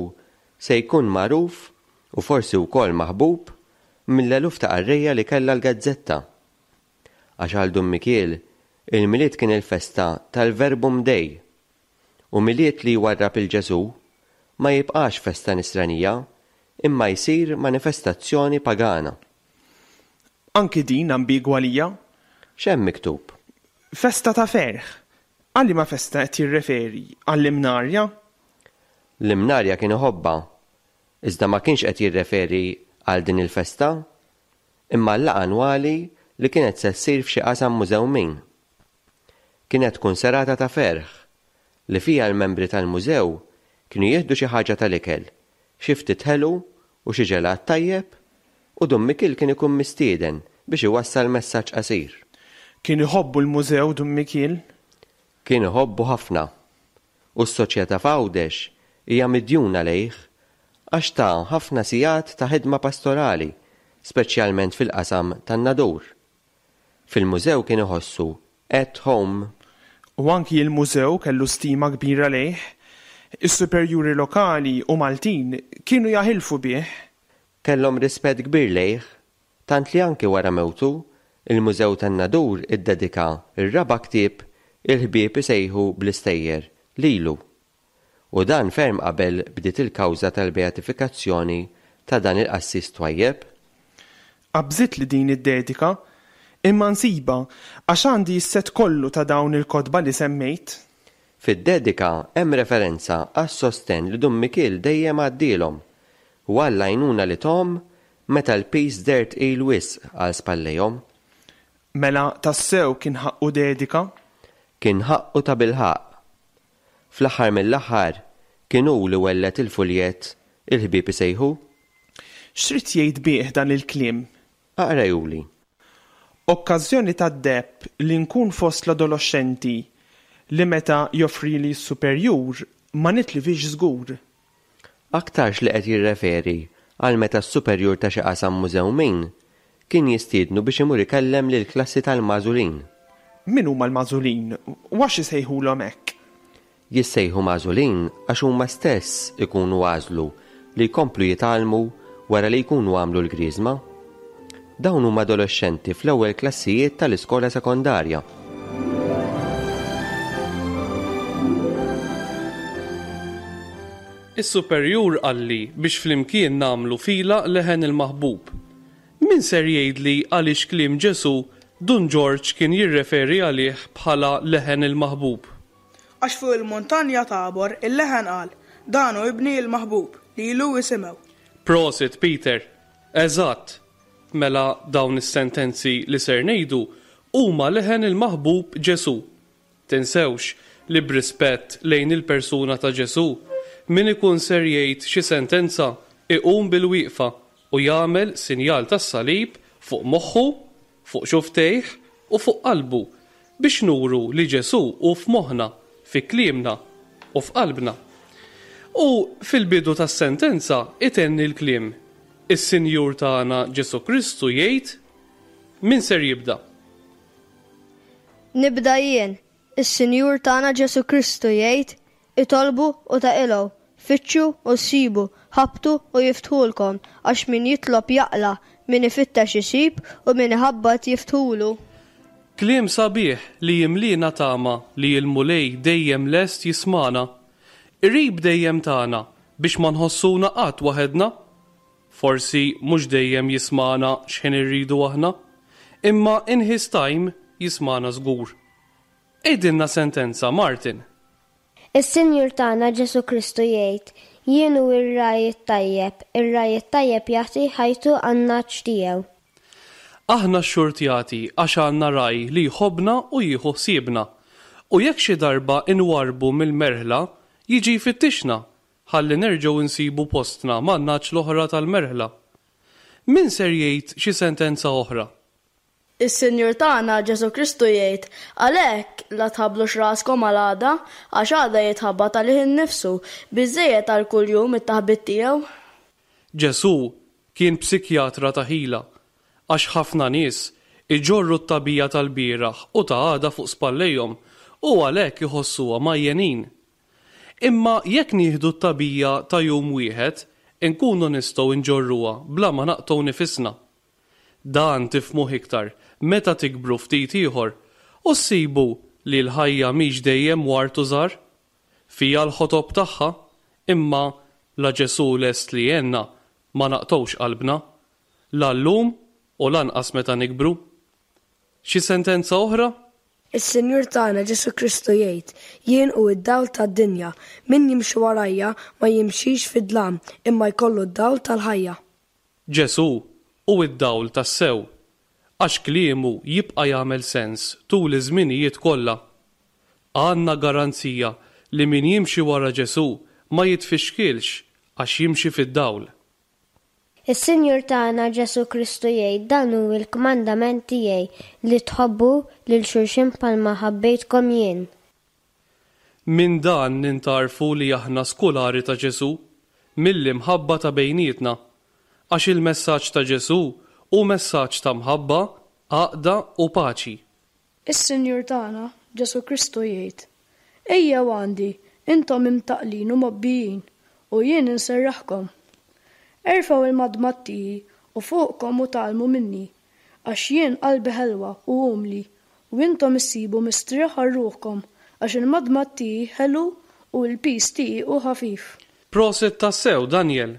se jkun magħruf u forsi wkoll maħbub mill-eluf ta' qarrejja li kellha l-gazzetta. Għax għal Dun Mikiel, il-Milied kien il-festa tal-Verbum Dei, u Milied li jwarrab il-Ġesu ma jibqax festa nisranija, imma jsir manifestazzjoni pagana. Anki din ambigwa għalija. X'hemm miktub? Festa ta' ferħ. Għal liema festa qed jirreferi? Għall-Imnarja? L-Imnarja kien iħobbha, iżda ma kienx qed jirreferi għal din il-festa, imma l-laqgħa annwali li kienet se ssir f'xi qasam mużewmin. Kienet tkun serata ta' ferħ li fija l-membri tal-mużew kienu jieħdu xi ħaġa tal-ikel, xi ftit ħelu u xi ġelat tajjeb, u Dun Mikiel kien ikun mistieden biex iwassal messaġġ qasir. Kien iħobbu l-mużew Dun Mikiel? Kien iħobbu ħafna. U s-soċjetà f'Għawdex hija midjuna lejh għax ta' ħafna sigħat ta' ħidma pastorali, speċjalment fil-qasam tan-Nadur. Fil-mużew kien iħossu at home. U anki il-mużew kellu stima kbira lejh. Is-superjuri lokali u Maltin kienu jaħilfu bih. Kellhom rispett kbir lejh, tant li anki wara mewtu, il-Mużew tan-Nadur iddedika r-raba' ktieb Il-ħbieb isejħu bl-istejjer lilu. U dan ferm qabel bdiet il-kawża tal-beatifikazzjoni ta' dan il-qassis twajjeb. Qabżitli din id-dedika, imma nsiba għax għandi s-set kollu ta' dawn il-kotba li semmejt. Fid-dedika hemm referenza għas-sostenn li Dun Mikiel dejjem għaddielhom u għall-għajnuna li tom meta l-piż deher tqil wisq għal spallejhom. Mela tassew kien ħaqqu dedika? Kien ħaqqu ta' bilħaqq. Fl-aħħar mill-aħħar kien hu li welled il-fuljet Il-ħbieb isejħu. X'rid jgħid bih dan il-kliem? Aqra Juli. Okkażjoni tad-deheb li nkun fost l-adolescenti li meta joffrili s-superjur ma nitlifix żgur. Aktarx li qed jirreferi għal meta s-superjur ta' xi qasam mużewmin kien jistiednu biex imur ikellem lill-klassi tal-magħżulin. Min huma l-magħżulin u għax isejħulhom hekk? Jissejħu magħżulin għax huma stess ikunu għażlu li jkomplu jitgħallmu wara li jkunu għamlu l-griżma. Dawn huma adolexxenti fl-ewwel klassijiet tal-iskola sekondarja. Is-superjur qalli biex flimkien nagħmlu fila leħen il-maħbub. Min ser jgħidli għaliex kliem Ġesù Dun Ġorġ kien jirreferi għalih bħala leħen il-maħbub? Għax fuq il-muntanja Tabor il-leħen qal, Dan hu ibni l-maħbub, lilu isimgħu. Prosit, Peter. Eżatt. Mela dawn is-sentenzi li ser ngħidu huma leħen il-maħbub Ġesù. Tinsewx li b'rispett lejn il-persuna ta' Ġesù, min ikun ser jgħid xi sentenza iqum bil-wieqfa u jagħmel sinjal tas-salib fuq moħħu, fuq xufftejh u fuq qalbu biex nuru li Ġesù hu f'moħħna, fi kliemna u f'qalbna. U fil-bidu tas-sentenza itenni l-kliem. Is-Sinjur tagħna Ġesù Kristu jgħid, min ser jibda? Nibda jien. Is-Sinjur tagħna Ġesù Kristu jgħid, itolbu u taqilgħu, fittxu u ssibu, ħabbtu u jiftħulkom, għax min jitlob jaqla', min ifittex isib u min iħabbat jiftħulu. Kliem sabiħ li jimlina tama li l-Mulej dejjem lest jismana. Qrib dejjem tagħna biex ma nħossuna qatt waħedna. Forsi mhux dejjem jismana x'ħin irridu aħna, imma in his time jismana żgur. Għidilna sentenza, Martin. Is-Sinjur tagħna Ġesù Kristu jgħid, Jien hu r-ragħaj it-tajjeb, ir-ragħaj it-tajjeb jagħti ħajtu għan-nagħaġ tiegħu. Aħna xxurtjati għax għandna ragħaj li jħobbna u jieħu ħsiebna. U jekk xi darba inwarrbu mill-merħla, jiġi jfittixna ħalli nerġgħu nsibu postna man-nagħaġ l-oħra tal-merħla. Min ser jgħid xi sentenza oħra? Is-Sinjur tagħna Ġesù Kristu jgħid, Għalhekk, la tħabblux raskom għal għada, għax għada jitħabbat għalih innifsu, biżżejjed għal kull jum it-taħbit tiegħu. Ġesù kien psikjatra ta' ħila, għax ħafna nies iġorru t-tagħbija tal-bieraħ u ta' għada fuq spallejhom u għalhekk iħossuha mgħajjenin. Imma jekk nieħdu t-tagħbija ta' jum wieħed, inkunu nistgħu nġorruha bla ma naqtgħu nifisna. Dan tifhmuh iktar meta tikbru ftit ieħor u ssibu li l-ħajja mhix dejjem ward u żgħar. Fiha l-ħotob tagħha, imma la Ġesù lest li jgħinna ma naqtgħux qalbna, la llum u lanqas meta nikbru. Xi sentenza oħra? Is-Sinjur tagħna Ġesù Kristu jgħid, Jien hu d-dawl tad-dinja, min jimxi warajja ma jimxix fid-dlam, imma jkollu d-dawl tal-ħajja. Ġesù hu d-dawl tassew, għax kliemu jibqa' jagħmel sens tul iż-żminijiet kollha. Għandna garanzija li min jimxi wara Ġesù ma jitfixkilx għax jimxi fid-dawl. Is-Sinjur tagħna Ġesù Kristu jgħid, Dan hu l-kmandament tiegħi, li tħobbu lil xulxin bħalma ħabbejtkom jien. Minn dan nintgħarfu li aħna skulari ta' Ġesù, mill-imħabba ta' bejnietna, għax il-messaġġ ta' Ġesù hu messaġġ ta' mħabba, għaqda u paċi. Is-Sinjur tagħna Ġesù Kristu jgħid, Ejjew għandi, intom imtaqqlin u mgħobbijin, u jien inserraħkom. Erfgħu il-madmad tiegħi u fuqkom u tgħallmu minni, għax jien qalbi ħelwa u umli, u intom issibu mistrieħ għal ruħkom, għax il-madmad tiegħi ħelu u l-piż tiegħi hu ħafif. Prosit tassew, Daniel!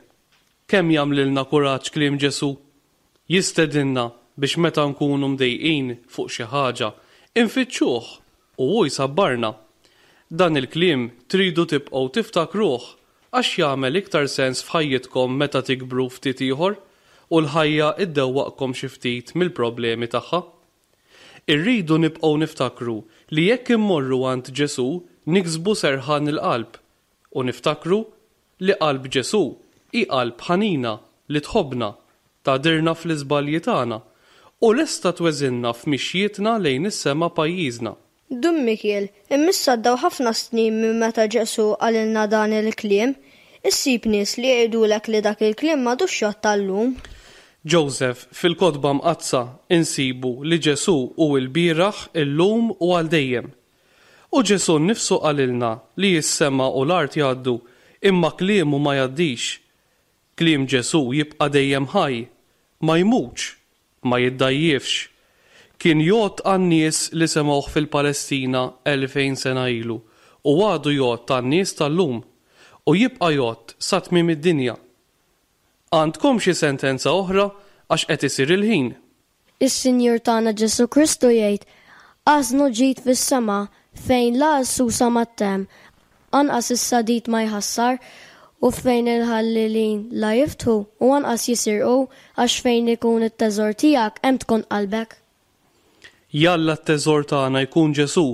Kemm jagħmlilna kuraġġ kliem Ġesù! Jistedinna biex meta nkunu mdejqin fuq xi ħaġa, infittxuh u hu jsabbarna. Dan il-kliem tridu tibqgħu tiftakruh għax jagħmel iktar sens f'ħajjitkom meta tikbru ftit ieħor u l-ħajja ddewwaqkom xi ftit mill-problemi tagħha. Irridu nibqgħu niftakru li jekk immorru għand Ġesù niksbu serħan il-qalb u niftakru li qalb Ġesù hi qalb ħanina li tħobbna, tagħdirna fl-iżbalji tagħna u lesta tweżinna f'mixjietna lejn is-sema pajjiżna. Dun Mikiel, imma issa għaddew ħafna snin minn meta Ġesù qalilna dan il-kliem. Issib nies li jgħidulek li dak il-kliem m'għadux jgħodd għal-lum. Joseph, fil-Kotba Mqaddsa insibu li Ġesù hu l-bieraħ, illum u għal dejjem. U Ġesù nnifsu qalilna li s-sema u l-art jgħaddu, imma kliemu ma jgħaddix. Kliem Ġesù jibqa' dejjem ħaj, ma jmutx, ma jiddgħajjifx. Kien jgħodd għan-nies li semgħuh fil-Palestina elfejn sena ilu u għadu jgħodd għan-nies tal-lum u jibqa' jgħodd sa tmiem id-dinja. Għandkom xi sentenza oħra għax qed isir il-ħin? Is-Sinjur tagħna Ġesù Kristu jgħid, Ażnu ġid fis-sema, fejn la s-susa ma ttemm, anqas is-sadid ma jħassar, u fejn il-ħallelin la jiftħu u anqas jisirqu, għax fejn ikun it-teżor tiegħek hemm tkun qalbek. Jalla t-teżor tagħna jkun Ġesù,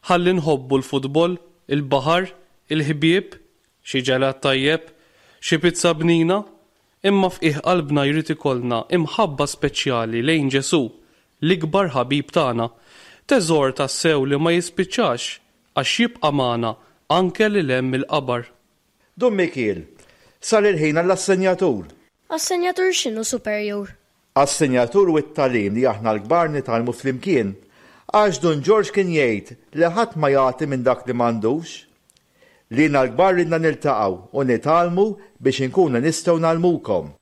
ħalli nħobbu l-futbol, il-baħar, il-ħbieb, xi ġelat tajjeb, xi pizza bnina, imma f'qiegħ qalbna jrid ikollna imħabba speċjali lejn Ġesù, l-ikbar ħabib tagħna, teżor tassew li ma jispiċċax għax jibqa' magħna anke lil hemm mill-qabar. Dun Mikiel, sar il-ħin għall-assenjatur. Assenjatur x'inhu, Superjur? Assenjatur hu t-tagħlim li aħna l-kbar nitgħallmu flimkien, għax Dun Ġorġ kien jgħid li ħadd ma jagħti minn dak li m'għandux. Lilna l-kbar ridna niltaqgħu u nitgħallmu biex inkunu nistgħu ngħallmukom.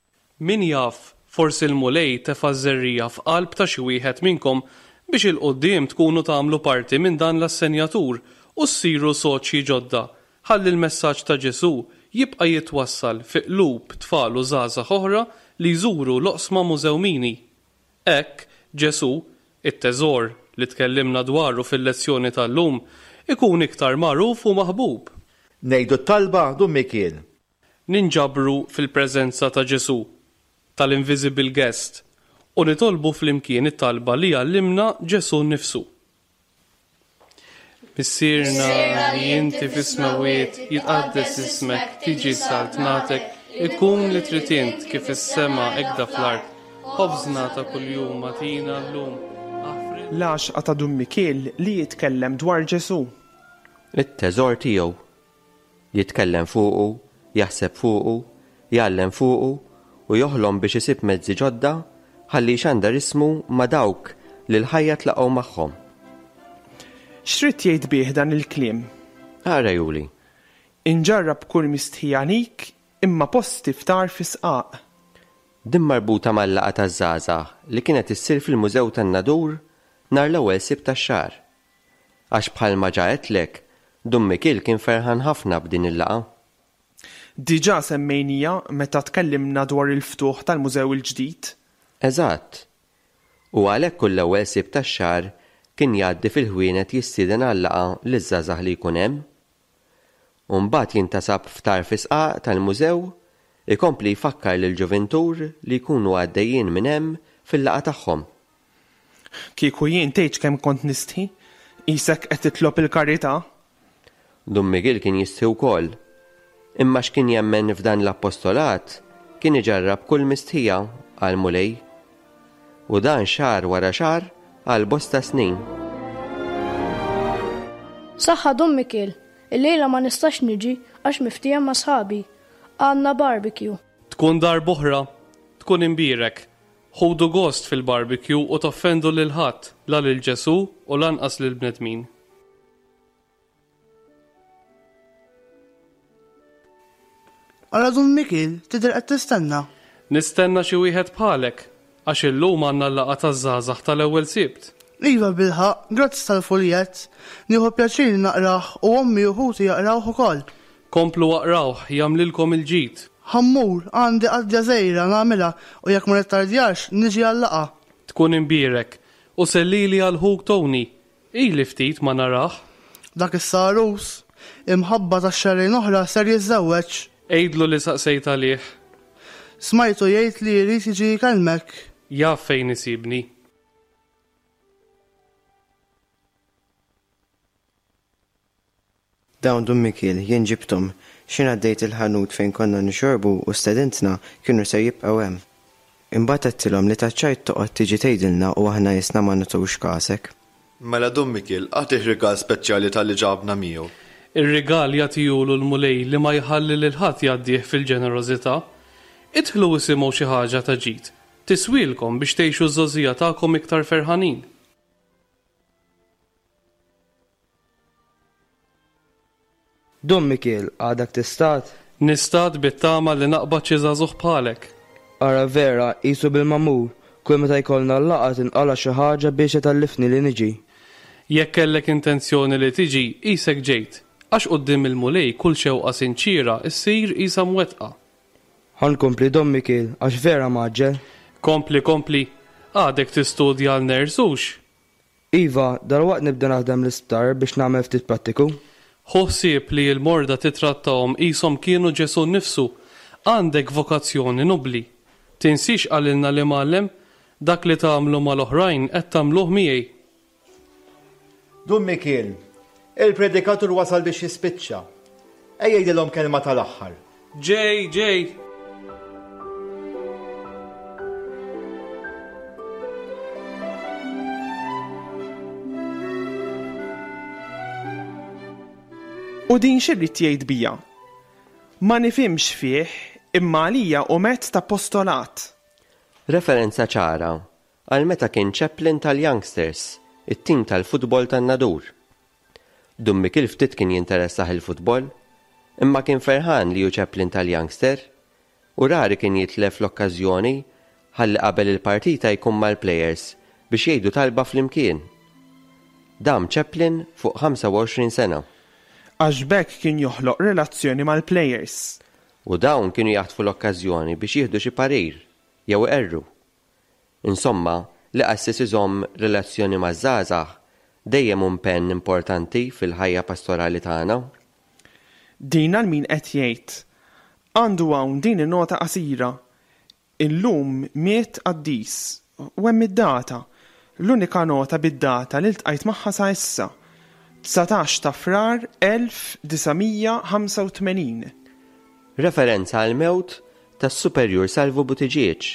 Min jaf, forsi l-Mulej tefa' ż-żerriegħa f'qalb ta' xi wieħed minnkom biex 'il quddiem tkunu tagħmlu parti minn dan l-assenjatur u ssiru soċji ġodda ħalli l-messaġġ ta' Ġesù jibqa' jitwassal fi qlub tfal u żgħażagħ oħra li jżuru l-oqsma mużewmini. Hekk, Ġesù, it-teżor li tkellimna dwaru fil-lezzjoni tal-lum, ikun iktar magħruf u maħbub. Ngħidu t-talba, Dun Mikiel. Ninġabru fil-preżenza ta' Ġesù, tal-Invisible Guest, u nitolbu flimkien it-talba li għallimna Ġesù nnifsu. Missierna li inti fis-smewwiet, jitqaddes ismek, tiġi saltnatek, ikun li trid int kif fis-sema hekk fl-art. Ħobżna ta' kuljum agħtina llum. L-għaxqa ta' Dun Mikiel li jitkellem dwar Ġesù. It-teżor tiegħu. Jitkellem fuqu, jaħseb fuqu, jgħallem fuqu u joħlom biex isib mezzi ġodda ħalli jxandar ismu ma' dawk li l-ħajja tlaqgħu magħhom. X'ried jgħid bih dan il-kliem? Ara Juli. Inġarrab kull mistħija għalik imma posti ftar fi sqaq. Din marbuta mal-laqgħa taż-żgħażagħ li kienet issir fil-Mużew tan-Nadur nhar l-ewwel Sibt tax-xahar. Għax bħalma ġa għedtlek, Dun Mikiel kien ferħan ħafna b'din il-laqgħa. Diġà semmejnija meta tkellimna dwar il-ftuħ tal-mużew il-ġdid. Eżatt. U għalhekk kull ewwel Sibt tax-xahar kien jgħaddi fil-ħwienet jistieden għal-laqgħa liż-żgħażagħ li jkun hemm. U mbagħad jintasab f'tarf is-sqaq tal-mużew ikompli jfakkar lill-ġuvintur li jkunu għaddejjin minn hemm fil-laqgħa tagħhom. Kieku jien tgħidx kemm kont nistħi, qisek qed titlob il-karità. Dun Miguel kien jistħi wkoll. Imma x'kien jemmen f'dan l-appostolat kien iġarrab kull mistħija għal Mulej. U dan xahar wara xahar għal bosta snin. Saħħa Dun Mikiel, illejla ma nistax niġi għax miftiehem ma' sħabi. Għandna barbecue. Tkun darb'oħra, tkun imbierek. Ħudu gost fil-barbecue u toffendu lil ħadd, la lil Ġesù u lanqas lill-bnedmin. Ara Dun Mikiel, tidher qed tistenna. Nistenna xi wieħed bħalek, għax illum għandna l-laqgħa taż-żgħażagħ tal-ewwel Sibt. Iva bilħaqq, grazzi tal-fuljett. Nieħu pjaċir li naqrah u ommi u ħuti jaqrawh ukoll. Komplu aqrawh, jagħmlilkom il-ġid. Ħammur, għandi qadja żgħira nagħmilha u jekk ma nittardjax niġi għal-laqgħa. Tkun imbierek u sellili għal ħuk Tony. Ili ftit ma narah. Dak is-sarus, imħabba tax-xahrejn oħra ser jiżżewweġ. Għidlu li saqsejt għalih. Smajtu jgħid li jrid jiġi jkellmek. Jaf fejn isibni. Dawn Dun Mikiel, jien ġibthom. X'ħin għaddejt il-ħanut fejn konna nixorbu u stedintna kienu ser jibqgħu hemm. Imbagħad għedtilhom li taċ-ċajt toqgħod tiġi tgħidilna u aħna jisna ma nagħtux kasek. Mela Dun Mikiel, agħtih rigal speċjali talli ġabna miegħu. Ir-rigal jagħtihulu l-Mulej li ma jħalli lil ħadd jgħaddih fil-ġenerożità. Idħlu isimgħu xi ħaġa ta' ġid. Tiswielkom biex tgħixu ż-żgħożija tagħkom iktar ferħanin. Dun Mikiel, għadak tistad? Nistad bit-tama li naqbad xi żagħżugħ bħalek. Ara vera, qisu bil-magħmul, kull meta jkollna l-laqgħa tinqala' xi ħaġa biex itellifni li niġi. Jekk kellek intenzjoni li tiġi, qisek ġejt, għax quddiem il-Mulej kull xewqa sinċiera ssir qisha mwettqa. Ħa nkompli Dun Mikiel, għax vera mgħaġġel. Kompli, kompli, għadek tistudja għal nurse hux? Iva, dalwaqt nibda naħdem l-isptar biex nagħmel ftit prattiku. Ħu ħsieb li l-morda titrattahom qishom kienu Ġesù nnifsu. Għandek vokazzjoni nobbli. Tinsiex qalilna l-Imgħallem, dak li tagħmlu mal-oħrajn qed tagħmluh miegħi. Dun Mikiel, il-predikatur wasal biex jispiċċa. Ejja jgħidilhom kelma tal-aħħar. Ġej, ġej. U din x'irrid jgħid bija? Ma nifhimx fih, imma għalija hu mezz ta' postolat. Referenza ċara għal meta kien chaplain tal-Youngsters, it-tim tal-futbol tan-Nadur. Dun Mikiel ftit kien jinteressah il-futbol, imma kien ferħan li hu chaplain tal-Youngster u rari kien jitlef l-okkażjoni ħalli qabel il-partita jkun mal-players biex jgħidu talba flimkien. Dam chaplain fuq ħamsa u għoxrin sena. Għax b'hekk kien joħloq relazzjoni mal-players. U dawn kienu jaħtfu l-okkażjoni biex jieħdu xi parir jew iqerru. Insomma, li qassis iżomm relazzjoni maż-żgħażagħ dejjem hu impenn importanti fil-ħajja pastorali tagħna. Din għal min qed jgħid. Għandu hawn din in-nota qasira. Illum miet qaddis u hemm id-data. L-unika nota bid-data li ltqajt magħha sa issa. Dsatax ta' Frar elf disa' mija ħamsa u tmenin. Referenza għal mewt tas-Superjur Salvu Buttigieg,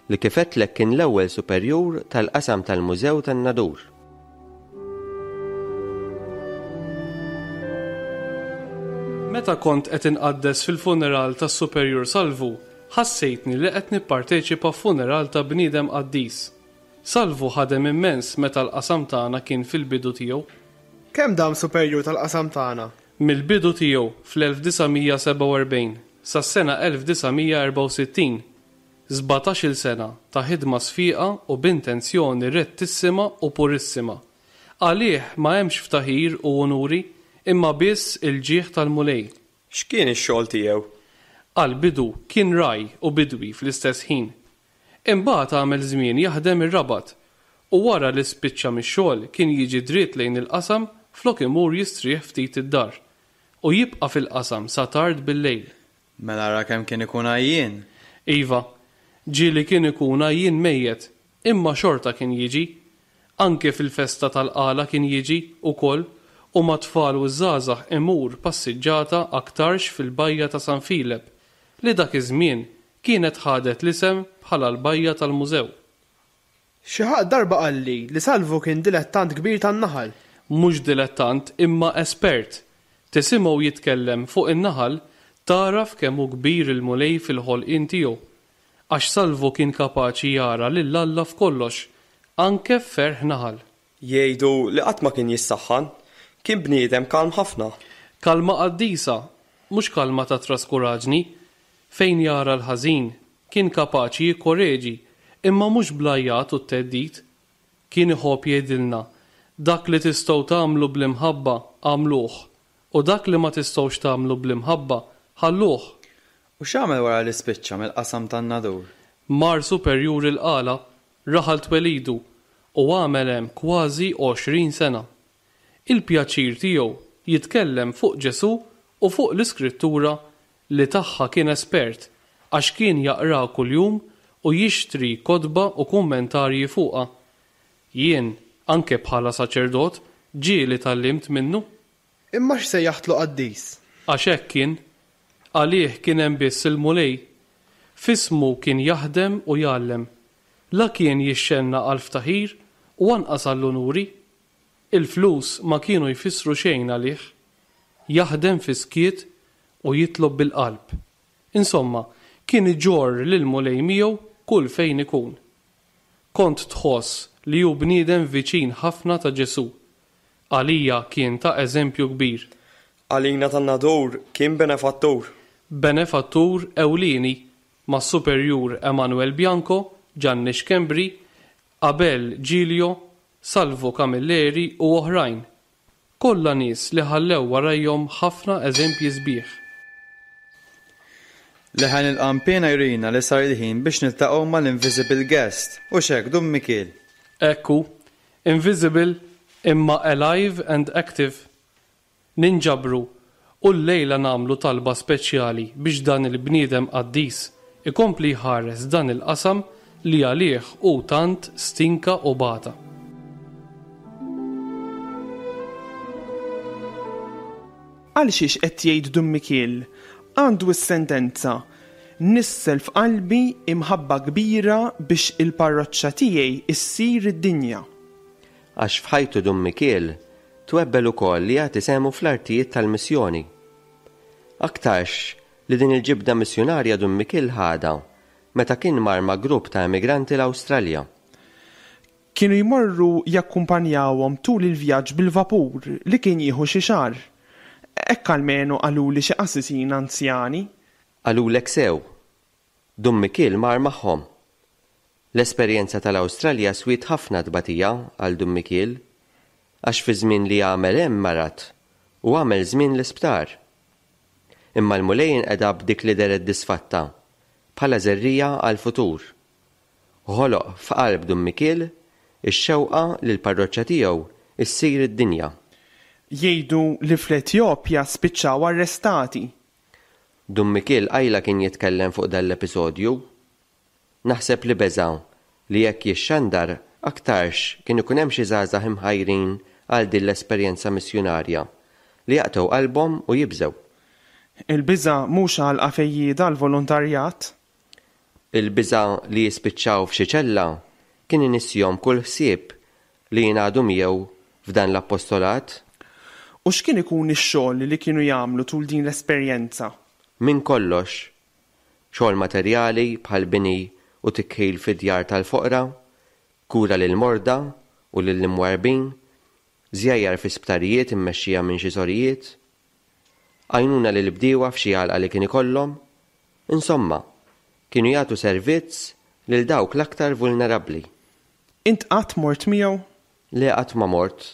li kif għedtlek kien l-ewwel superjur tal-qasam tal-Mużew tan-Nadur. Meta kont qed inqaddes fil-funeral tas-Superjur Salvu, ħassejtni li qed nipparteċipa f'funeral ta' bniedem qaddis. Salvu ħadem immens meta l-qasam tagħna kien fil-bidu tiegħu. Kemm dam superjur tal-qasam tagħna? Mill-bidu tiegħu fl-elf disa' mija sebgħa u erbgħin sas-sena elf disa' mija erbgħa u sittin, sbatax-il sena ta' ħidma sfiqa u b'intenzjoni rettissima u purissima. Għalih ma hemmx ftaħir u onuri, imma biss il-ġieħ tal-Mulej. X'kien ix-xogħol tiegħu? Għall-bidu kien raj u bidwi fl-istess ħin. Imbagħad għamel żmien jaħdem ir-Rabat u wara li spiċċa mix-xogħol kien jiġi dritt lejn il-qasam flok imur jistrieħ ftit id-dar u jibqa' fil-qasam sa tard bil-lejl. Mela ara kemm kien ikun għajjien. Iva, ġieli kien ikun għajjien mejjet, imma xorta kien jiġi. Anke fil-festa tal-qala kien jiġi ukoll u ma' tfal u żgħażagħ imur passiġġata aktarx fil-bajja ta' San Filep, li dak iż-żmien kienet ħadet l-isem bħala l-bajja tal-mużew. Xi ħadd darba qalli li Salvu kien dilettant kbir tan-naħal. Mhux dilettant imma espert. Tisimgħu jitkellem fuq in-naħal taraf kemm hu kbir il-Mulej fil-ħolqien tiegħu. Għax Salvu kien kapaċi jara lil Alla f'kollox, anke f'ferħ naħal. Jgħidu li qatt ma kien jissaħħan, kien bniedem kalm ħafna. Kalma qaddisa, mhux kalma ta' traskuraġni, fejn jara l-ħażin, kien kapaċi jikkoreġi, imma mhux blajjat u t-teddid. Kien iħobb jgħidilna, dak li tistgħu tagħmlu bl-imħabba għamluh, u dak li ma tistgħux tagħmlu bl-imħabba ħalluh. U x'għamel wara li spiċċa mill-qasam tan-Nadur? Mar superjur il-qala, raħal twelidu, u għamel hemm kważi għoxrin sena. Il-pjaċir tiegħu jitkellem fuq Ġesu u fuq l-Iskrittura li tagħha kien espert, għax kien jaqra kuljum u jixtri kotba u kummentarji fuqha. Jien, anke bħala saċerdot, ġieli tgħallimt minnu. Imma x'sejjaħtlu qaddis? Għax hekk kien. Għalih kien hemm biss il-Mulej. Fismu kien jaħdem u jgħallem. La kien jixxenna għal ftaħir u anqas għall-unuri. Il-flus ma kienu jfissru xejn għalih. Jaħdem fi skiet u jitlob bil-qalb. Insomma, kien iġorr lil Mulej miegħu kull fejn ikun. Kont tħoss li hu bniedem viċin ħafna ta' Ġesù. Għalija kien ta' eżempju kbir. Għalina tan-Nadur kien benefattur. Benefattur ewlieni mas-Superjur Emanuel Bianco, Gianni Schembri, Abel Giglio, Salvo Camilleri u oħrajn. Kollha nies li ħallew warajhom ħafna eżempji sbieħ. Leħen il-qanpiena jurina li sar il-ħin biex niltaqgħu mal-Invisible Guest, hux hekk Dun Mikiel? Ekku, invisible imma alive and active. Ninġabru u llejla nagħmlu talba speċjali biex dan il-bniedem qaddis ikompli jħares dan il-qasam li għalih hu tant stinka u bata. Għal xiex qed jgħid Dun Mikiel? Għandu s-sentenza nissel f'qalbi imħabba kbira biex il-parroċċa tiegħi issir id-dinja. Għax f'ħajtu Dun Mikiel twebbel ukoll li jagħti sehmu fl-artijiet tal-missjoni. Aktarx li din il-ġibda missjunarja Dun Mikiel ħadha meta kien mar ma' grupp ta' emigranti l-Awstralja. Kienu jmorru jakkumpanjawhom tul il-vjaġġ bil-vapur li kien jieħu xi xahar. Hekk almenu qaluli xi qassisin anzjani. Qalulek sew. Dun Mikiel mar magħhom. L-esperjenza tal-Awstralja swiet ħafna tbatija għal Dun Mikiel, għax fi żmien li għamel hemm marad u għamel żmien l-isptar. Imma l-Mulej inqeda b'dik li dehret disfatta, bħala żerriegħa għall-futur. Ħoloq f'qalb Dun Mikiel ix-xewqa li l-parroċċa tiegħu issir id-dinja. Jgħidu li fl-Etjopja spiċċaw arrestati. Dun Mikiel qajla kien jitkellem fuq dan l-episodju. Naħseb li beża' li jekk jixxandar aktarx kien ikun hemm xi żgħażagħ imħajrin għal din l-esperjenza missjunarja li jaqtgħu qalbhom u jibżgħu. Il-biża' mhux għalqa fejjieda l-volontarjat. Il-biża' li jispiċċaw f'xi ċella kien inissihom kull ħsieb li jingħadu miegħu f'dan l-appostolat. U x'kien ikun ix-xogħol li kienu jagħmlu tul din l-esperjenza? Minn kollox, xogħol materjali bħal bini u tikħil fid-djar tal-foqra, kura lil morda u lil imwarbin, żjajjar fi sptarijiet immexxija minn xi sorijiet, għajnuna lil bdiewa f'xi għalqa li kien ikollhom. Insomma, kienu jagħtu servizz lil dawk l-aktar vulnerabbli. Int qatt mort miegħu? Le, qatt ma mort.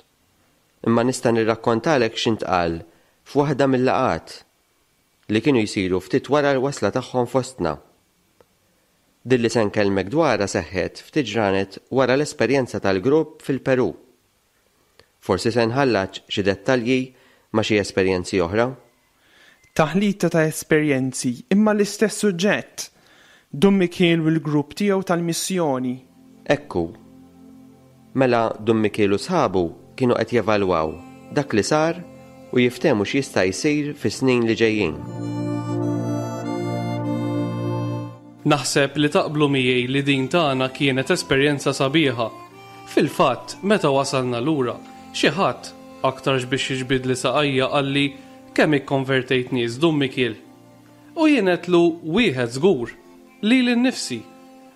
Imma nista' nirrakkontalek x'intqal f'waħda mill-laqgħat li kienu jsiru ftit wara l-wasla tagħhom fostna. Din li se nkellmek dwarha seħħet ftit ġranet wara l-esperjenza tal-grupp fil-Peru. Forsi se nħallaġ xi dettalji ma' xi esperjenzi oħra. Taħlita ta' esperjenzi imma l-istess suġġett. Dun Mikiel u l-grupp tiegħu tal-missjoni. Ekku. Mela Dun Mikiel u sħabu kienu qed jevalwaw dak li sar u jiftehmu x'jista' jsir fis-snin li ġejjin. Naħseb li taqblu miegħi li din tagħna kienet esperjenza sabiħa. Fil-fatt, meta wasalna lura, xi ħadd aktarx biex jiġbidli saqajja qalli kemm ikkonvertejt nies Dun Mikiel. U jien għedtlu wieħed żgur, lili nnifsi,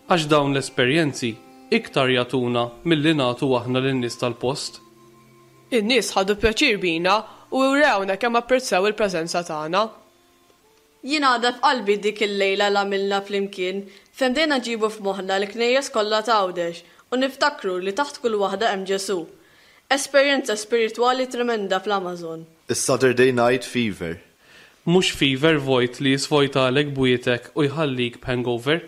għax dawn l-esperjenzi iktar jagħtuna milli nagħtu aħna lin-nies tal-post. In-nies ħadu pjaċir bina u wrewna kemm apprezzaw il-preżenza tagħna. Jien għadha f'qalbi dik il-lejla li għamilna flimkien fejn bdejna nġibu f'moħħna l-knejjes kollha ta' Għawdex u niftakru li taħt kull waħda hemm Ġesù. Esperjenza spiritwali tremenda fl-Amazon. Is-Saturday Night Fever. Mhux fever vojt li jisvojtalek bwietek u jħallik b'hangover,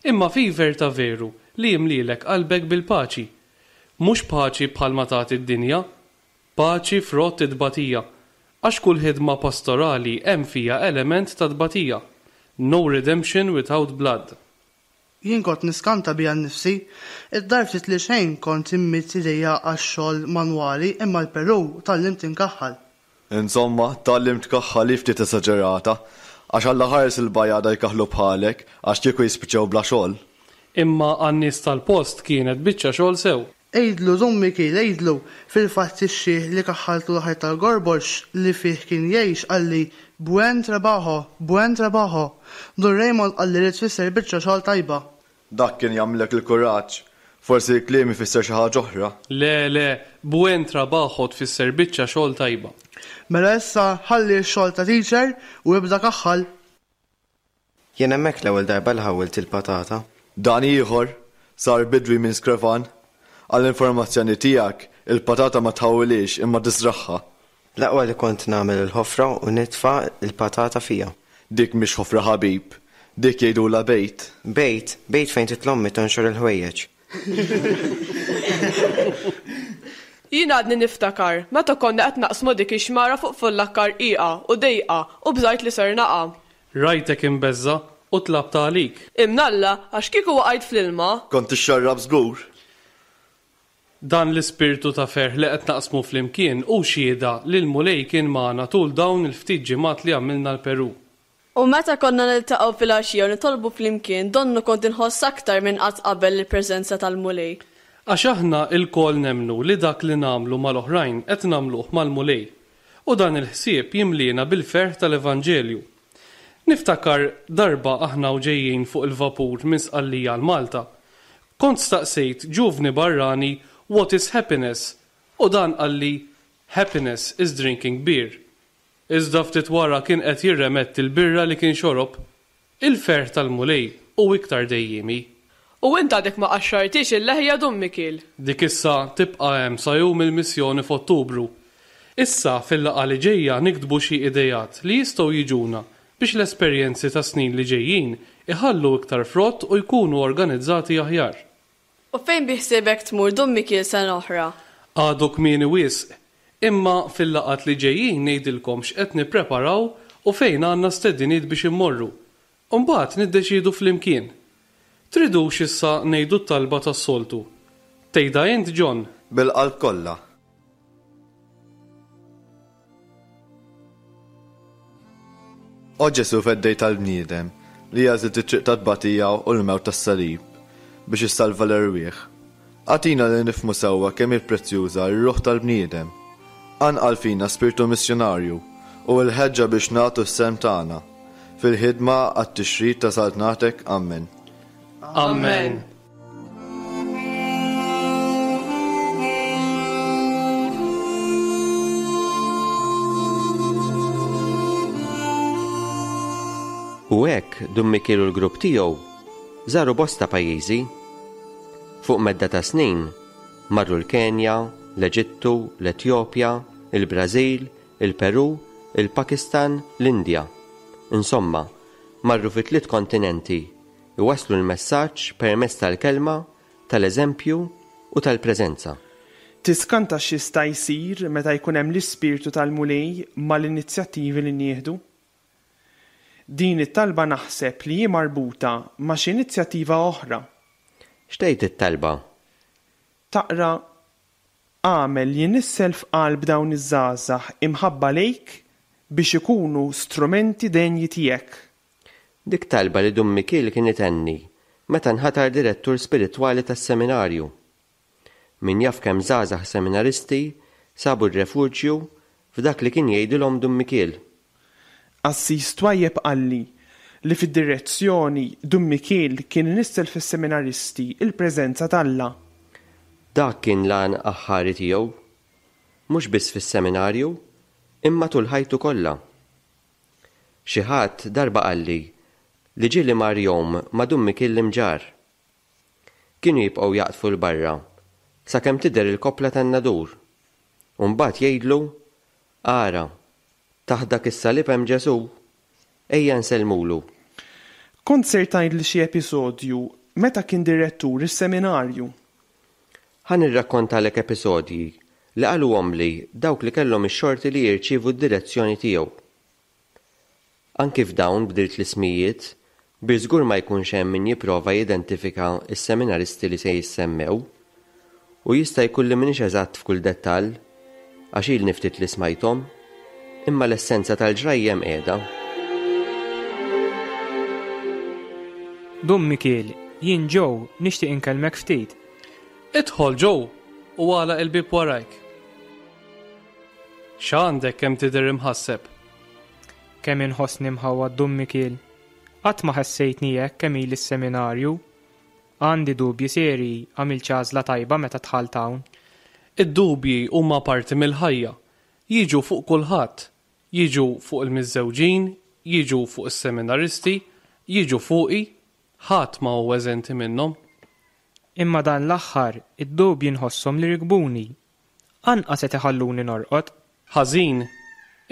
imma fever ta' veru li jimlilek qalbek bil-paċi. Mhux paċi bħalma tagħti d-dinja, paċi frott it-tbatija, għax kull ħidma pastorali hemm fija element ta' tbatija. No redemption without blood. Jien kont niskanta bija nnifsi, id-dar ftit li xejn kont immidd idejja għax-xogħol manwali imma l-Peru tgħallimt inkaħħal. Insomma, tgħallimt tkaħħal hi ftit esaġerata, għax Alla ħares il-bajada jkaħħlu bħalek għax kieku jispiċċaw bla xogħol. Imma għan-nies tal-post kienet biċċa xogħol sew. Għidlu, Dun Mikiel, għidlu, fil-fatt ix-xiħ li kaħħaltu l-ħajt tal-gorbox li fih kien jgħix qalli buen trabajo, buen trabajo. Dun Raymond qalli li tfisser biċċa xogħol tajba. Dak kien jagħmlek il-kuraġġ. Forsi l-kliem ifisser xi ħaġa oħra. Le, le, buen trabajo tfisser biċċa xogħol tajba. Mela issa ħalli x-xogħol ta' teacher u ibda kaħħal. Jien hemmhekk l-ewwel darba li ħawwilt il-patata. Dan ieħor sar bidwi minn skrevan. Għall-informazzjoni tiegħek, il-patata ma tħawwilhiex imma tiżragħha. L-aqwa li kont nagħmel il-ħofra u nitfa' l-patata fiha. Dik mhix ħofra ħabib, dik jgħidulha bejt. Bejt, bejt fejn titla' ommi tonxor il-ħwejjeġ. Jien għadni niftakar meta konna qed naqsmu dik ix-xmara fuq fullakka rqiqa u dejqa u bżajt li ser naqa'. Rajtek imbeżża' u tlabt għalik. Imnalla għax kieku waqajt fl-ilma. Kont tixxarrab żgur. Dan l-ispirtu ta' ferħ li qed naqsmu flimkien hu xhieda li l-Mulej kien magħna tul dawn il-ftit ġimgħat li għamilna l-Peru. U meta konna niltaqgħu filgħaxija u nitolbu flimkien donnu kont inħoss aktar minn qatt qabel il-preżenza tal-Mulej. Għax aħna lkoll nemmnu li dak li nagħmlu mal-oħrajn qed nagħmluh mal-Mulej. U dan il-ħsieb jimliena bil-ferħ tal-Evanġelju. Niftakar darba aħna u ġejjin fuq il-vapur minn Sqallija għal Malta. Kont staqsejt ġuvni barrani what is happiness u dan qalli happiness is drinking beer. Iżda ftit wara kien qed jirremetti l-birra li kien xorob. Il-ferħ tal-Mulej hu iktar dejjiemi. U int għadek ma qaxxartix il-leħja Dun Mikiel. Dik issa tibqa' hemm sa jum il-missjoni f'Ottubru. Issa fil-laqgħa li ġejja niktbu xi ideat li jistgħu jiġuna biex l-esperjenzi tas-snin li ġejjin iħallu iktar frott u jkunu organizzati aħjar. U fejn biħsiebek tmur Dun Mikiel sena oħra? Għadu kmieni wisq, imma fil-laqgħat li ġejjin ngħidilkom x'qed nippreparaw u fejn għandna stediniet biex immorru. U mbagħad niddeċiedu flimkien. Tridux issa ngħidu t-talba tas-soltu. Tgħidha int John? Bil-qalb kollha. O Ġesù feddej tal-bniedem, li għażilt it-triq tat-tbatija u l-mewt tas-salib biex issalva l-erwieħ. Agħtina li nifhmu sewwa kemm hi prezzjuża r-ruħ tal-bniedem. Anqal fina spirtu missjunarju u l-ħeġġa biex nagħtu s-sehem tagħna fil-ħidma għat-tixrid ta' saltnatek. Amen. Amen. U hekk Dun Mikiel u l-grupp tiegħu żaru bosta pajjiżi. Fuq medda ta' snin marru l-Kenja, l-Eġittu, l-Etjopja, il-Brażil, il-Peru, il-Pakistan, l-Indja. Insomma, marru fi tliet kontinenti iwasslu l-messaġġ permezz tal-kelma, tal-eżempju u tal-preżenza. Tiskanta x'jista' jsir meta jkun hemm l-ispirtu tal-Mulej mal-inizjattivi li nieħdu? Din it-talba naħseb li hi marbuta ma' xi inizjattiva oħra. X'tgħid it-talba? Taqra agħmel li nissel f'qalb dawn iż-żgħażagħ imħabba lejk biex ikunu strumenti denji tiegħek. Dik talba li Dun Mikiel kien itenni meta nħatar direttur spiritwali tas-seminarju. Min jaf kemm żgħażagħ seminaristi sabu r-refuġju f'dak li kien jgħidilhom Dun Mikiel. Qassis twajjeb qalli li fid-direzzjoni Dun Mikiel kien inissel fis-seminaristi il-preżenza t'Alla. Dak kien l-għan aħħari tiegħu, mhux biss fis-seminarju, imma tul ħajtu kollha. Xi ħadd darba qalli li ġieli mar jom ma' Dun Mikiel l-Imġarr. Kienu jibqgħu jaqdfu 'l barra sakemm tidher il-koppla tan-nadur, u mbagħad jgħidlu, Ara, taħt dak is-salib hemm Ġesù, ejja nsellmulu. Kont ser tgħidli xi episodju meta kien direttur is-seminarju. Ħa nirrakkontalek episodji li qaluhomli dawk li kellhom ix-xorti li jirċievu d-direzzjoni tiegħu. Anki f'dawn bdilt l-ismijiet biex żgur ma jkunx hemm min jipprova jidentifika s-seminaristi li se jissemmew. U jista' jkun li m'iniex eżatt f'kull dettall, għax ilni ftit li smajthom, imma l-essenza tal-ġrajjem qiegħda. Dun Mikiel, jien Joe, nixtieq inkellmek ftit. Idħol Joe u għalaq il-bieb warajk. X'għandek kemm tidher imħasseb? Kemm inħossni mħawwad Dun Mikiel. Qatt ma ħassejtni hekk kemm ili s-seminarju. Għandi dubji serji għamiltx għażla tajba meta dħalt hawn. Id-dubji huma parti mill-ħajja. Jiġu fuq kulħadd. Jiġu fuq il-miżżewġin, jiġu fuq is-seminaristi, jiġu fuqi, ħadd ma hu eżenti minnhom. Imma dan l-aħħar id-dubji nħosshom li rikbuni. Anqas qed iħalluni norqod. Ħażin,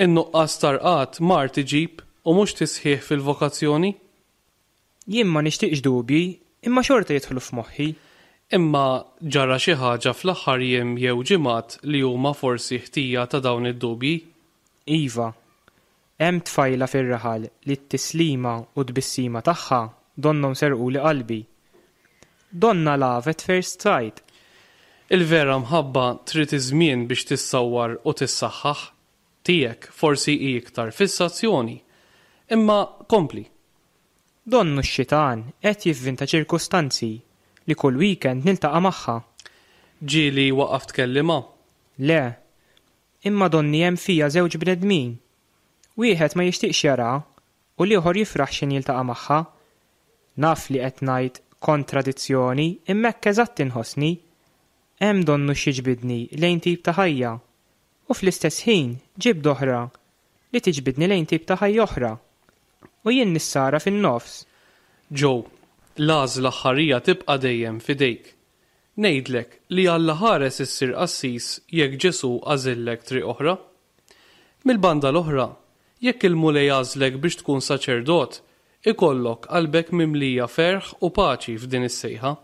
in-nuqqas ta' rqad mard iġib u mhux tisħiħ fil-vokazzjoni. Jien ma nixtieqx dubji, imma xorta jidħlu f'moħħi. Imma ġara xi ħaġa fl-aħħar jiem jew ġimgħat li huma forsi ħtija ta' dawn id-dubji? Iva, hemm tfajla fir-raħal li t-tislima u t-tbissima tagħha donnhom serquli qalbi. Donnha love at first sight. Il-vera mħabba trid iż-żmien biex tissawwar u tissaħħaħ. Tiegħek forsi hi iktar fissazzjoni. Imma kompli. Donnu x-xitan qed jivvinta ċirkustanzi li kull weekend niltaqa' magħha. Ġieli waqaft tkellimha? Le. Imma donni hemm fija żewġ bnedmin. Wieħed ma jixtieqx jaraha u l-ieħor jifraħ x'ħin jiltaqa' magħha. Naf li qed ngħid kontradizzjoni imma hekk eżatt inħossni. Hemm donnu x'jiġbidni lejn tip ta' ħajja u fl-istess ħin ġibda oħra li tiġbidni lejn tip ta' ħajja oħra. U jien nissara fin-nofs. Joe, l-għażla aħħarija tibqa' dejjem f'idejk. Ngħidlek li Alla ħares issir qassis jekk Ġesù għażillek triq oħra. Mill-banda l-oħra, jekk il-Mulej għażlek biex tkun saċerdot, ikollok qalbek mimlija ferħ u paċi f'din is-sejħa.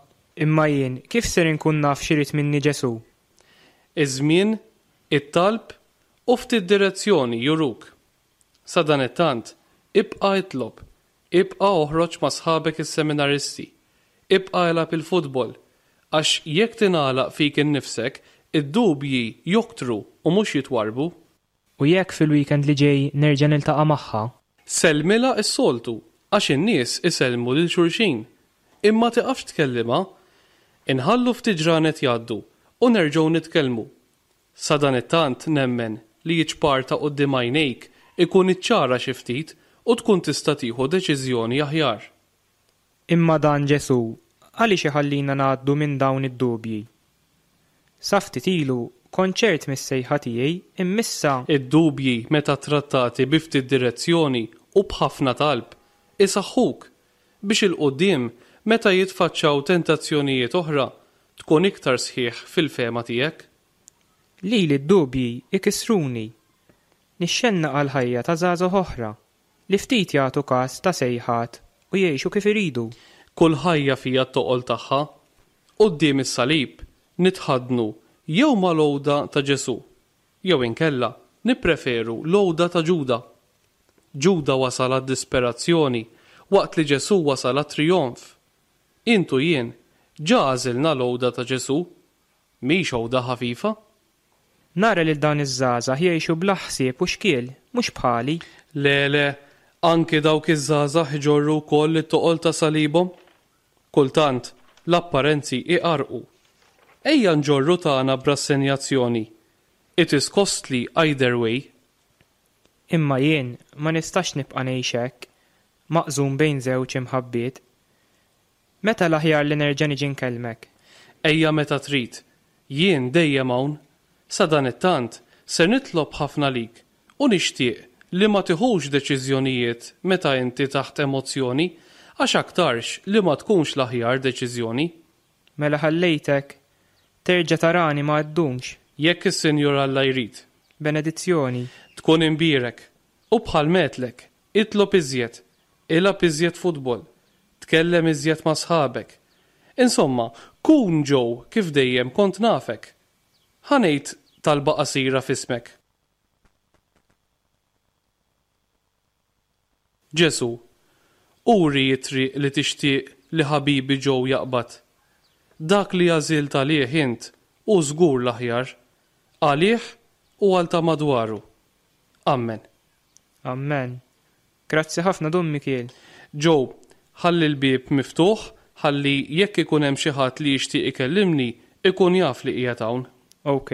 Imma jien kif ser inkun naf x'irid minni Ġesù? Iż-żmien, it-talb u ftit direzzjoni juruk. Sadanittant, ibqa' itlob, ibqa' oħroġ ma' sħabek is-seminaristi, ibqa' ilgħab il-futbol, għax jekk tingħalaq fik innifsek, id-dubji joktru u mhux jitwarrbu. U jekk fil-weekend li ġej nerġa' niltaqa' magħha? Sellmilha s-soltu, għax in-nies isellmu lil xulxin. Imma tiqafx tkellimha. Inħallu ftit ġranet jgħaddu u nerġgħu nitkellmu. Sadanittant nemmen li ċ-ċpar ta' quddiem għajnejk ikun iċċara xi ftit u tkun tista' tieħu deċiżjoni aħjar. Imma dan Ġesù għaliex iħallina ngħaddu minn dawn id-dubji? Sa ftit ilu kont ċert mis-sejħa tiegħi imma issa. Id-dubji meta trattati bi ftit direzzjoni u b'ħafna talb isaħħuk biex 'il quddiem meta jitfaċċaw tentazzjonijiet oħra tkun iktar sħiħ fil-fehma tiegħek. Lili d-dubji ikissruni. Nixxennaq għal ħajja ta' żgħażagħ oħra li ftit jagħtu każ ta' sejħat u jgħixu kif iridu. Kull ħajja fiha t-toqol tagħha. Quddiem is-salib nitħaddnu jew mal-għoda ta' Ġesù, jew inkella nippreferu l-għoda ta' Ġuda. Ġuda wasal għad-disperazzjoni waqt li Ġesù wasal għat-trijonf. Int u jien ġa għażilna l-għoda ta' Ġesù. Mhix għoda ħafifa. Nara lil dawn iż-żgħażagħ jgħixu bla ħsieb u xkiel, mhux bħali. Le, le, anki dawk iż-żgħażagħ iġorru wkoll it-toqol ta' salibhom. Kultant, l-apparenzi iqarqu. Ejja nġorru tagħna b'rassenjazzjoni. It is costly either way. Imma jien ma nistax nibqa' ngħix hekk, maqsum bejn żewġ imħabbiet. Meta l-aħjar li nerġa' niġi nkellmek? Ejja meta trid. Jien dejjem hawn. Sadanittant, ser nitlob ħafna lik u nixtieq li ma tiħux deċiżjonijiet meta inti taħt emozzjoni għax aktarx li ma tkunx l-aħjar deċiżjoni. Mela ħallejtek, terġa' tarani ma ddumx. Jekk is-Sinjur Alla jrid. Benedizzjoni. Tkun imbierek. U bħal m'għedtlek, itlob iżjed, ilgħab iżjed futbol, tkellem iżjed ma' sħabek. Insomma, kun Joe kif dejjem kont nafek. Ħa ngħid talba qasira f'ismek. Ġesù, uri t-triq li tixtieq li ħabibi Joe jaqbad. Dak li għażilt għalih int hu żgur l-aħjar, għalih u għal ta' madwaru. Ammen. Ammen. Grazzi ħafna Dun Mikiel. Joe, ħalli l-bieb miftuħ ħalli jekk ikun hemm xi ħadd li jixtieq ikellimni, ikun jaf li qiegħed hawn. Ok.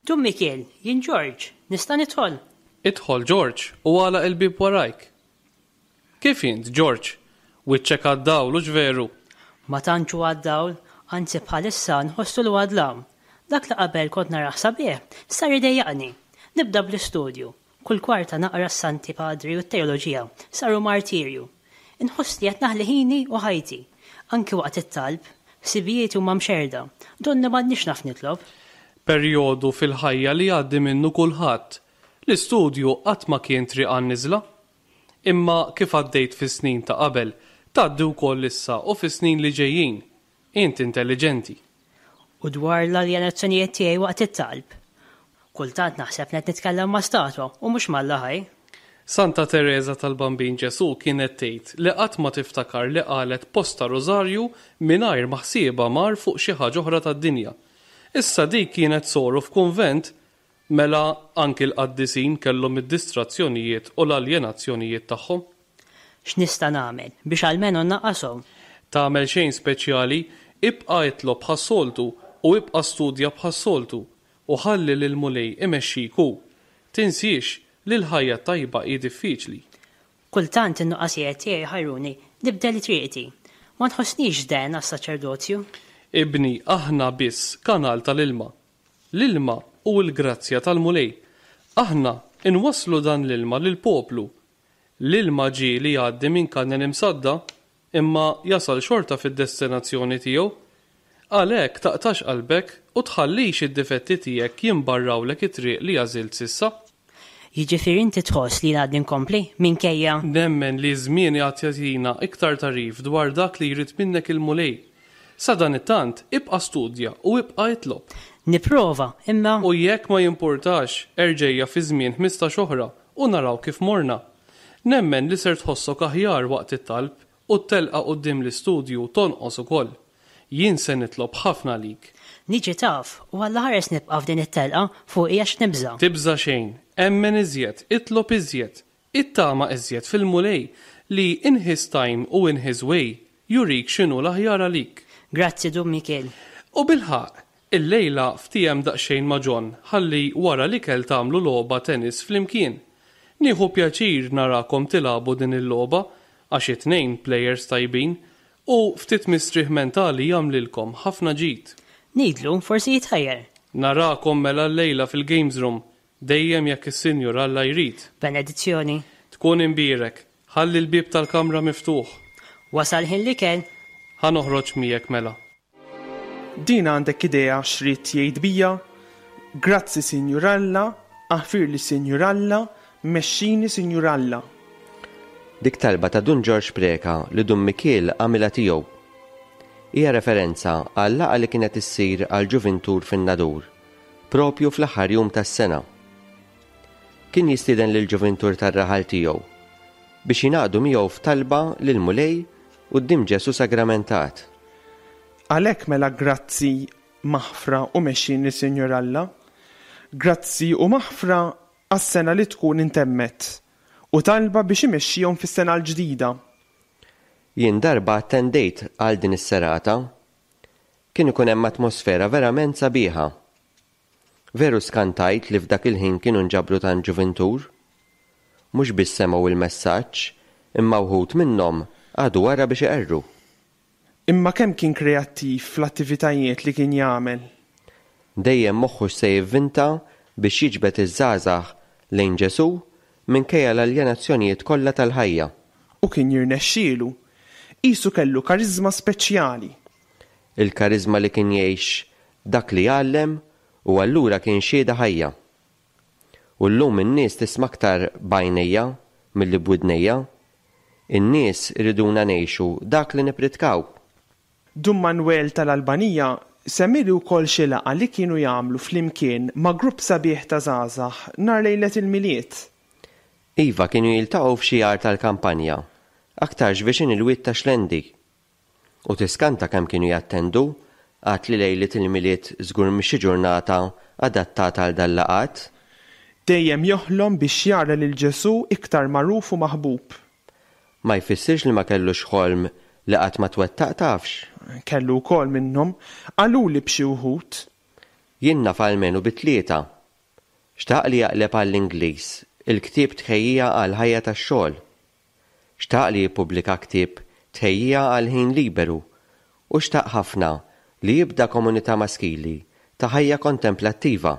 Dun Mikiel, jien George, nista' nidħol? Idħol George u għalaq il-bieb warajk. Kif int, George? Wiċċek għad-dawl hux veru? Ma tantx hu għad-dawl, anzi bħalissa nħossu li huwa dlam. Dak li qabel kont narah sabiħ, sar idejjaqni. Nibda bl-istudju. Kull kwarta naqra s-Santi Padri u t-teoloġija, saru martirju. Inħoss li qed naħli ħini u ħajti. Anki waqt it-talb, ħsibijieti huma mxerrda, donni m'għadnix naf nitlob. Perjodu fil-ħajja li jgħaddi minnu kulħadd. L-istudju qatt ma kien triq għan-niżla. Imma kif għaddejt fis-snin ta' qabel, tgħaddi wkoll issa u fis-snin li ġejjin. Int intelliġenti. U dwar l-aljenazzjonijiet tiegħi waqt it-talb. Kultant naħseb li qed nitkellem ma' statwa u mhux m'Alla ħaj. Santa Tereża tal-Bambin Ġesù kienet tgħid li qatt ma tiftakar li qalet posta rużarju mingħajr ma ħsiebha mar fuq xi ħaġa oħra tad-dinja. Issa dik kienet soru f'kunvent, mela anki l-qaddisin kellhom id-distrazzjonijiet u l-aljenazzjonijiet tagħhom. X'nista' nagħmel biex almenu nnaqqashom? Tagħmel xejn speċjali, ibqa' itlob bħas-soltu u ibqa' studja bħas-soltu u ħalli lill-Mulej imexxik hu. Tinsiex li l-ħajja t-tajba hi diffiċli. Kultant in-nuqqasijiet tiegħi jħajruni nibdel triqti. Ma nħossnix den għas-saċerdozju. Ibni, aħna biss kanal tal-ilma. L-ilma hu l-grazzja tal-Mulej. Aħna inwasslu dan l-ilma lill-poplu. L-ilma ġieli jgħaddi minn kanel imsadda, imma jasal xorta fid-destinazzjoni tiegħu. Għalhekk taqtax qalbek u tħallix id-difetti tiegħek jimbarrawlek it-triq li għażilt s'issa. Jiġifieri inti tħoss li jien għadni nkompli minkejja. Nemmen li ż-żmien għad jagħtina iktar tagħrif dwar dak li jrid minnek il-Mulej. Sadanittant, ibqa' studja u ibqa' itlob. Nipprova, imma. U jekk ma jimpurtax, erġejja fi żmien ħmistax oħra u naraw kif morna. Nemmen li ser tħossok aħjar waqt it-talb u t-telqa quddiem l-istudju tonqos ukoll. Jien se nitlob ħafna għalik. Niġi taf, u Alla ħares nibqa' f'din it-telqa fuqi għax nibża'. Tibża' xejn, emmen iżjed, itlob iżjed, ittama iżjed fil-Mulej li in his time u in his way jurik x'inhu l-aħjar għalik. Grazzi Dun Mikiel. U bilħaqq, illejla ftiehem daqsxejn ma' John ħalli wara l-ikel tagħmlu logħba tennis flimkien. Nieħu pjaċir narakom tilagħbu din il-logħba għax it-tnejn plejers tajbin u ftit mistrieħ mentali jagħmlilkom ħafna ġid. Ngħidlu, forsi jitħajjar. Narakom mela llejla fil-games room, dejjem jekk is-Sinjur Alla jrid. Benedizzjoni. Tkun imbierek, ħalli l-bieb tal-kamra miftuħ. Wasal ħin l-ikel. Ħa noħroġ miegħek mela. Din għandek idea x'ried jgħid bija? Grazzi Sinjur Alla, aħfirli Sinjur Alla, mexxini Sinjur Alla. Dik talba ta' Dun Ġorġ Preca li Dun Mikiel għamilha tiegħu. Hija referenza għal laqgħa li kienet issir għal ġuvintur fin-Nadur, propju fl-aħħar jum tas-sena. Kien jistieden lil ġuvintur tar-raħal tiegħu biex jingħaqdu miegħu f'talba lil Mulej quddiem Ġesù Sagramentat. Għalhekk mela grazzi, maħfra u mexxini Sinjur Alla. Grazzi u maħfra għas-sena li tkun intemmet u talba biex imexxihom fis-sena l-ġdida. Jien darba attendejt għal din is-serata. Kien ikun hemm atmosfera verament sabiħa. Veru skantajt li f'dak il-ħin kienu nġabru tant ġuvintur. Mhux biss semgħu il-messaġġ, imma wħud minnhom għadu wara biex iqerru. Imma kemm kien kreattiv fl-attivitajiet li kien jagħmel? Dejjem moħħu se jivvinta biex jiġbed iż-żgħażagħ lejn Ġesù minkejja l-aljenazzjonijiet kollha tal-ħajja. U kien jirnexxielu. Qisu kellu kariżma speċjali. Il-kariżma li kien jgħix dak li jgħallem u allura kien xhieda ħajja. U llum in-nies tisma' aktar b'għajnejja milli b'widnejja. In-nies iriduna ngħixu dak li nippritkaw. Dun Manuel tal-Albanija semmili wkoll xi laqgħa li kienu jagħmlu flimkien ma' grupp sabiħ ta' żgħażagħ nhar lejlet il-Milied. Iva kienu jiltaqgħu f'xi għar tal-kampanja, aktarx viċin il-wied ta' Xlendi. U tiskanta kemm kienu jattendu, għad li lejlet il-Milied żgur mhix xi ġurnata adattata għal dal-laqgħat. Dejjem joħlom biex jara lil Ġesù iktar magħruf u maħbub. Ma jfissirx li ma kellux ħolm li qatt ma twettaq tafx. Kellu wkoll minnhom, qaluli b'xi wħud. Jien naf almenu bi tlieta. Xtaq li jaqleb għall-Ingliż il-ktieb Tħejjija għall-ħajja tax-xogħol. Xtaq li jippubblika ktieb Tħejjija għall-ħin liberu u xtaq ħafna li jibda komunità maskili ta' ħajja kontemplattiva.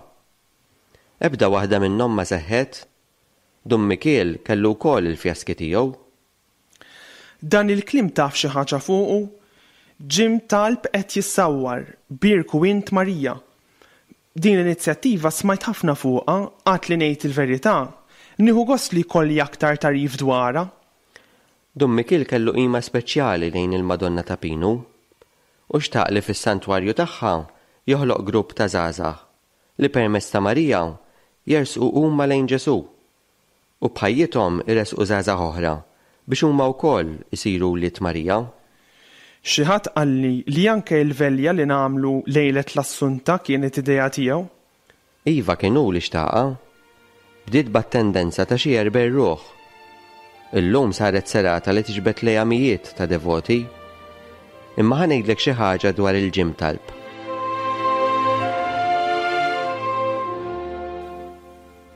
Ebda waħda minnhom ma seħħet. Dun Mikiel kellu wkoll il-fjaski tiegħu. Dan il-kliem taf xi ħaġa fuqu? Ġim talb qed jissawwar, bierku int Marija. Din l-inizjattiva smajt ħafna fuqha, għad li ngħid il-verità, nieħu gost li jkolli aktar tagħrif dwarha. Dun Mikiel kellu qima speċjali lejn il-Madonna ta' Pinu u xtaq li fis-santwarju tagħha joħloq grupp ta' żgħażagħ li permezz ta' Marija jersqu huma lejn Ġesù u b'ħajjithom iresqu żgħażagħ oħra biex huma wkoll isiru wlied Marija. Xi ħadd qalli li anke l-velja li nagħmlu lejlet l-Assunta kienet idea tiegħu. Iva kien hu li xtaqha. Bdiet b'attendenza ta' xi erbgħin ruħ. Illum saret serata li tiġbed lejha mijiet ta' devoti. Imma ħa ngħidlek xi ħaġa dwar il-ġim talb.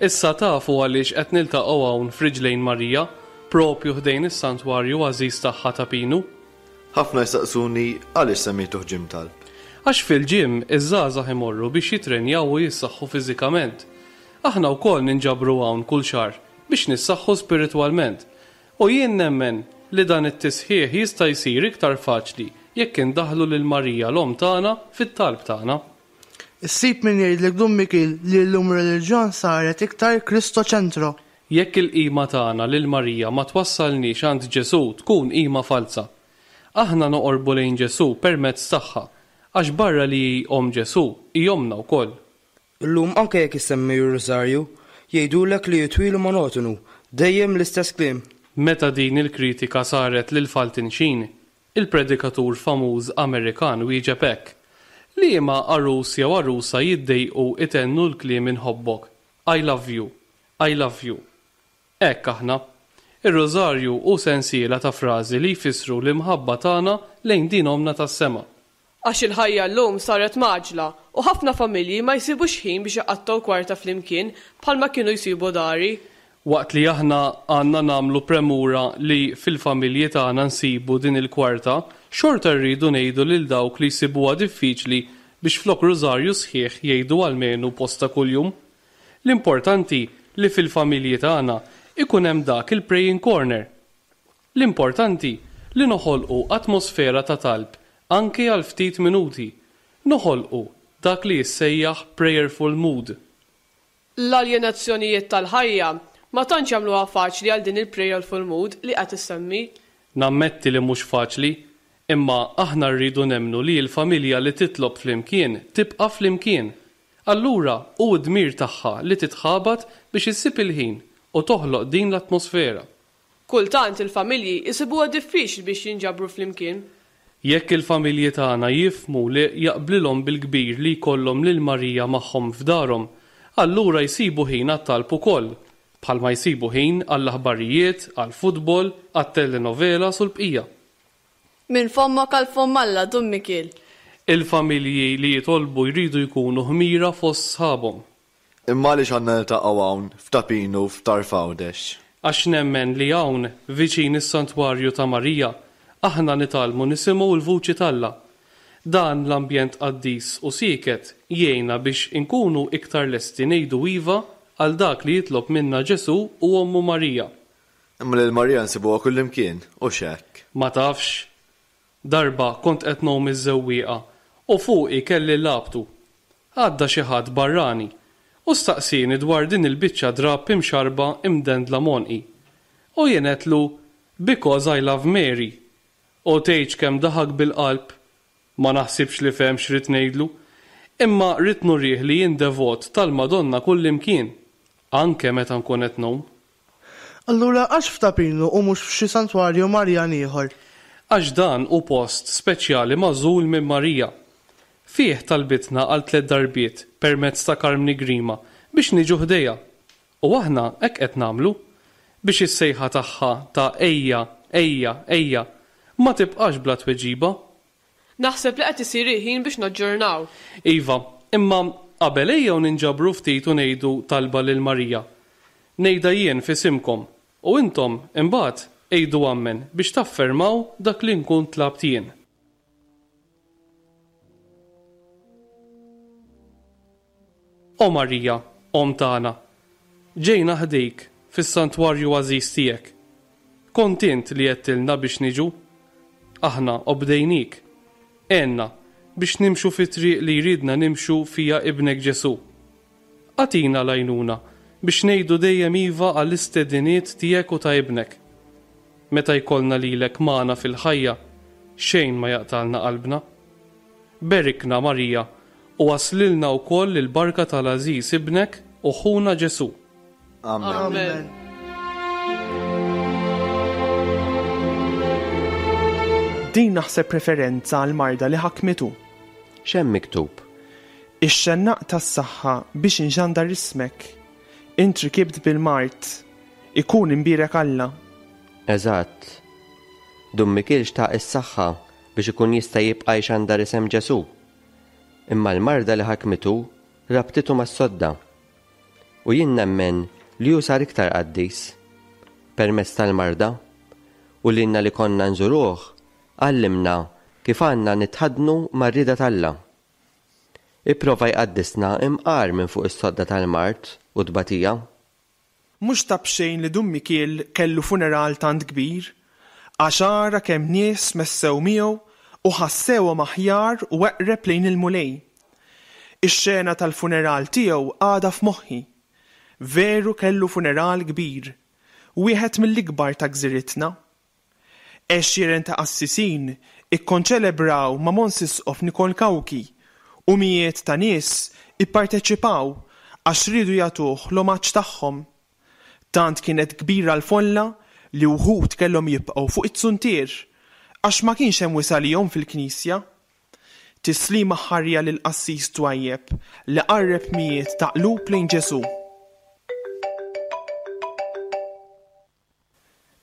Issa tafu għaliex qed niltaqgħu hawn f'riġlejn Marija, propju ħdejn is-santwarju għażiż tagħha ta' Pinu. Ħafna jsaqsuni għaliex semmejtuh ġim talb. Għax fil-ġim iż-żgħażagħ imorru biex jitrenjaw u jissaħħu fiżikament. Aħna wkoll ninġabru hawn kull xahar biex nissaħħu spiritwalment. U jien nemmen li dan it-tisħiħ jista' jsir iktar faċli jekk indaħħlu lil Marija l-omm tagħna fit-talb tagħna. Issib min jgħidlek Dun Mikiel li llum ir-reliġjon saret iktar Kristoċentro. Jekk il-qima tagħna lil Marija ma twassalniex għand Ġesù tkun qima falsa. Aħna noqorbu lejn Ġesù permezz tagħha, għax barra li hi omm Ġesù hi ommna wkoll. Illum anke jekk issemmi r-Rużarju, jgħidulek li jitwilu monotonu, dejjem l-istess kliem. Meta din il-kritika saret lil Fulton Sheen, il-predikatur famuż Amerikan wieġeb hekk: Liema għarus jew għarusa jiddejqu itennu l-kliem inħobbok, I love you, I love you. Hekk aħna. Ir-Rużarju hu sensiela ta' frażi li jfissru l-imħabba tagħna lejn din ommna tas-sema. Għax il-ħajja llum saret maġla u ħafna familji ma jsibux ħin biex iqattgħu kwarta flimkien bħalma kienu jsibu dari. Waqt li aħna għandna nagħmlu premura li fil-familji tagħna nsibu din il-kwarta, xorta rridu ngħidu lil dawk li jsibuha diffiċli biex flok rużarju sħiħ jgħidu almenu posta kuljum. L-importanti li fil-familji tagħna ikun hemm dak il-praying corner. L-importanti li noħolqu atmosfera ta' talb anke għal ftit minuti. Noħolqu dak li jissejjaħ prayerful mood. L-aljenazzjonijiet tal-ħajja ma tantx jagħmluha faċli għal din il-prayerful mood li qed issemmi. Nammetti li mhux faċli, imma aħna rridu nemmnu li l-familja li titlob flimkien tibqa' flimkien. Allura hu d-dmir tagħha li titħabat biex issib il-ħin u toħloq din l-atmosfera. Kultant il-familji jsibuha diffiċli biex jinġabru flimkien. Jekk il-familji tagħna jifhmu li jaqblilhom bil-kbir li jkollhom lil Marija magħhom f'darhom, allura jsibu ħin għat-talb ukoll, bħalma jsibu ħin għall-aħbarijiet, għall-futbol, għat-telenovelas u l-bqija. Minn fommok għal fomm Alla, Dun Mikiel. Il-familji li jitolbu jridu jkunu ħmira fost sħabhom. Imma għaliex għandna niltaqgħu hawn f'Ta' Pinu f'Tarf Għawdex? Għax nemmen li hawn viċin is-Santwarju ta' Marija aħna nitgħallmu nisimgħu l-vuċi t'Alla. Dan l-ambjent qaddis u sieket jgħinna biex inkunu iktar lesti ngħidu iva għal dak li jitlob minna Ġesù u ommu Marija. Imma lil Marija nsibuha kullimkien, u x'hekk? Ma tafx. Darba kont qed ngħum iż-żewwieqa u fuqi kelli labtu. Għadda xi ħadd barrani u staqsieni dwar din il-biċċa drapp imxarba imdendla m'għonqi. U jien għedtlu, Because I love Mary. U tgħidx kemm daħak bil-qalb. Ma naħsibx li fehem x'rid ngħidlu. Imma rrid nurih li jien devot tal-Madonna kullimkien, anke meta nkun qed ngħum. Allura għax f'Ta' Pinu u mhux f'xi santwarju Marjan ieħor? Għax dan hu post speċjali magħżul minn Marija. Fih talbitna għal tliet darbiet permezz ta' Karmni Grima biex niġu ħdejha. U aħna hekk qed nagħmlu biex is-sejħa tagħha ta' ejja, ejja, ejja ma tibqax bla tweġiba. Naħseb li qed isir il-ħin biex naġġornaw. Iva, imma Qabel ejjew ninġabru ftit u ngħidu talba lil Marija. Ngħidha jien f'isimkom u intom imbagħad għidu ammen biex taffermaw dak li nkun tlabt jien. O Marija, Omm tagħna, ġejna ħdejk fis-santwarju għażiż tiegħek. Kont int li għedtilna biex niġu. Aħna obdejnik. Għenna biex nimxu fit-triq li jridna nimxu fiha ibnek Ġesù. Agħtina l-għajnuna biex ngħidu dejjem iva għall-istediniet tiegħek u ta' ibnek. Meta jkollna lilek magħna fil-ħajja, xejn ma jaqtalna qalbna. Berikna Marija u waslilna wkoll il-barka tal-għażiż ibnek u ħuna Ġesù. Amen. Amen. Din naħseb referenza għal marda li ħakmitu. X'hemm miktub? Ix-xennaq tas-saħħa biex inxandar ismek. Int rikibt bil-mard. Ikun imbierek Alla. Eżatt. Dun Mikiel xtaq is-saħħa biex ikun jista' jibqa' jxandar isem Ġesù. Imma l-marda li ħakmitu rabtitu mas-sodda. U jien nemmen li hu sar iktar qaddis permezz tal-marda u lilna li konna nżuruh għallimna kif għandna nitħaddnu mar-rieda t'Alla. Ipprova jqaddisna imqar minn fuq is-sodda tal-mard u tbatija. Mhux ta' b'xejn li Dun Mikiel kellu funeral tant kbir, għax ara kemm nies messew miegħu u ħassewhom aħjar u eqreb lejn il-Mulej. Ix-xena tal-funeral tiegħu għadha f'moħħi. Veru kellu funeral kbir, wieħed mill-ikbar ta' gżiritna. Għexieren ta' qassisin ikkonċelebraw ma' Mons Isqof Nikol Cauchi u mijiet ta' nies ipparteċipaw għax riedu jagħtuh l-omaġġ tagħhom. Tant kienet kbira l-folla li wħud kellhom jibqgħu fuq it-suntier għax ma kienx hemm wisa' lihom fil-knisja. Tislima ħarja lil qassis twajjeb li qarreb mijiet ta' qlub lejn Ġesù.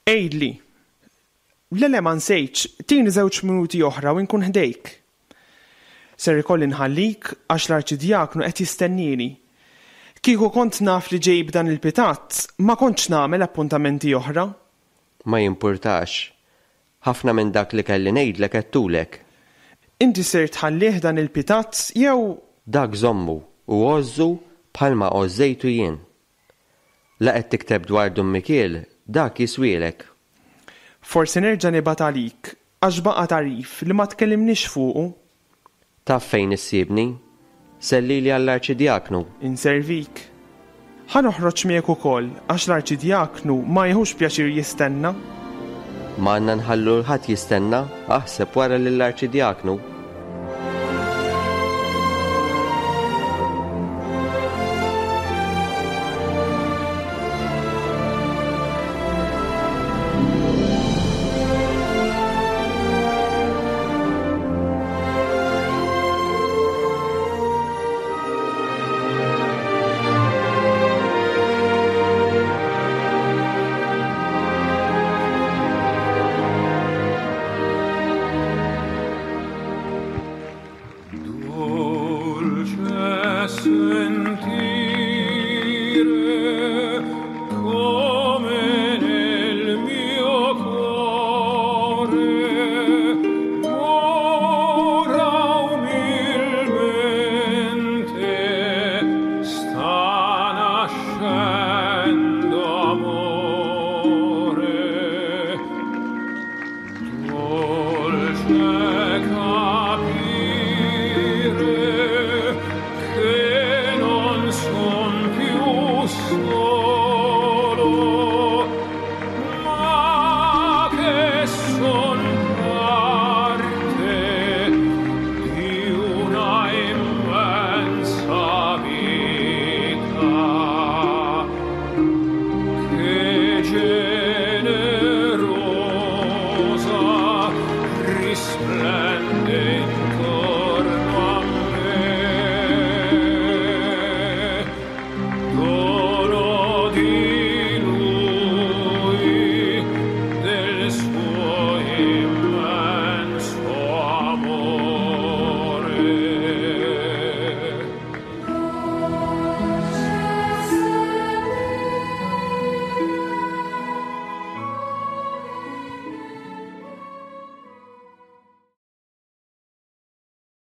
Għidli, le le ma nsejtx, tini żewġ minuti oħra u nkun ħdejk. Ser ikolli nħallik għax l-arċidjaknu qed jistennini. Kieku kont naf li ġej b'dan il-pitazz, ma kontx nagħmel appuntamenti oħra. Ma jimpurtax. Ħafna minn dak li kelli ngħidlek għedtulek. Inti ser tħallih dan il-pitazz jew Dak żommu u għożżu bħalma għożżejtu jien. La qed tikteb dwar Dun Mikiel, dak jiswielek. Forsi nerġa' nibgħat għalik għax baqa' tagħrif li ma tkellimniex fuqu. Taf fejn issibni? Sellili għall-arċidjaknu. Inservik. Ħa noħroġ miegħek ukoll għax l-arċidjaknu ma jieħux pjaċir jistenna. Ma għandna nħallu 'l ħadd jistenna, aħseb wara lill-arċidjaknu. Dolce sentire come nel mio cuore ora umilmente sta nascendo amore. Dolce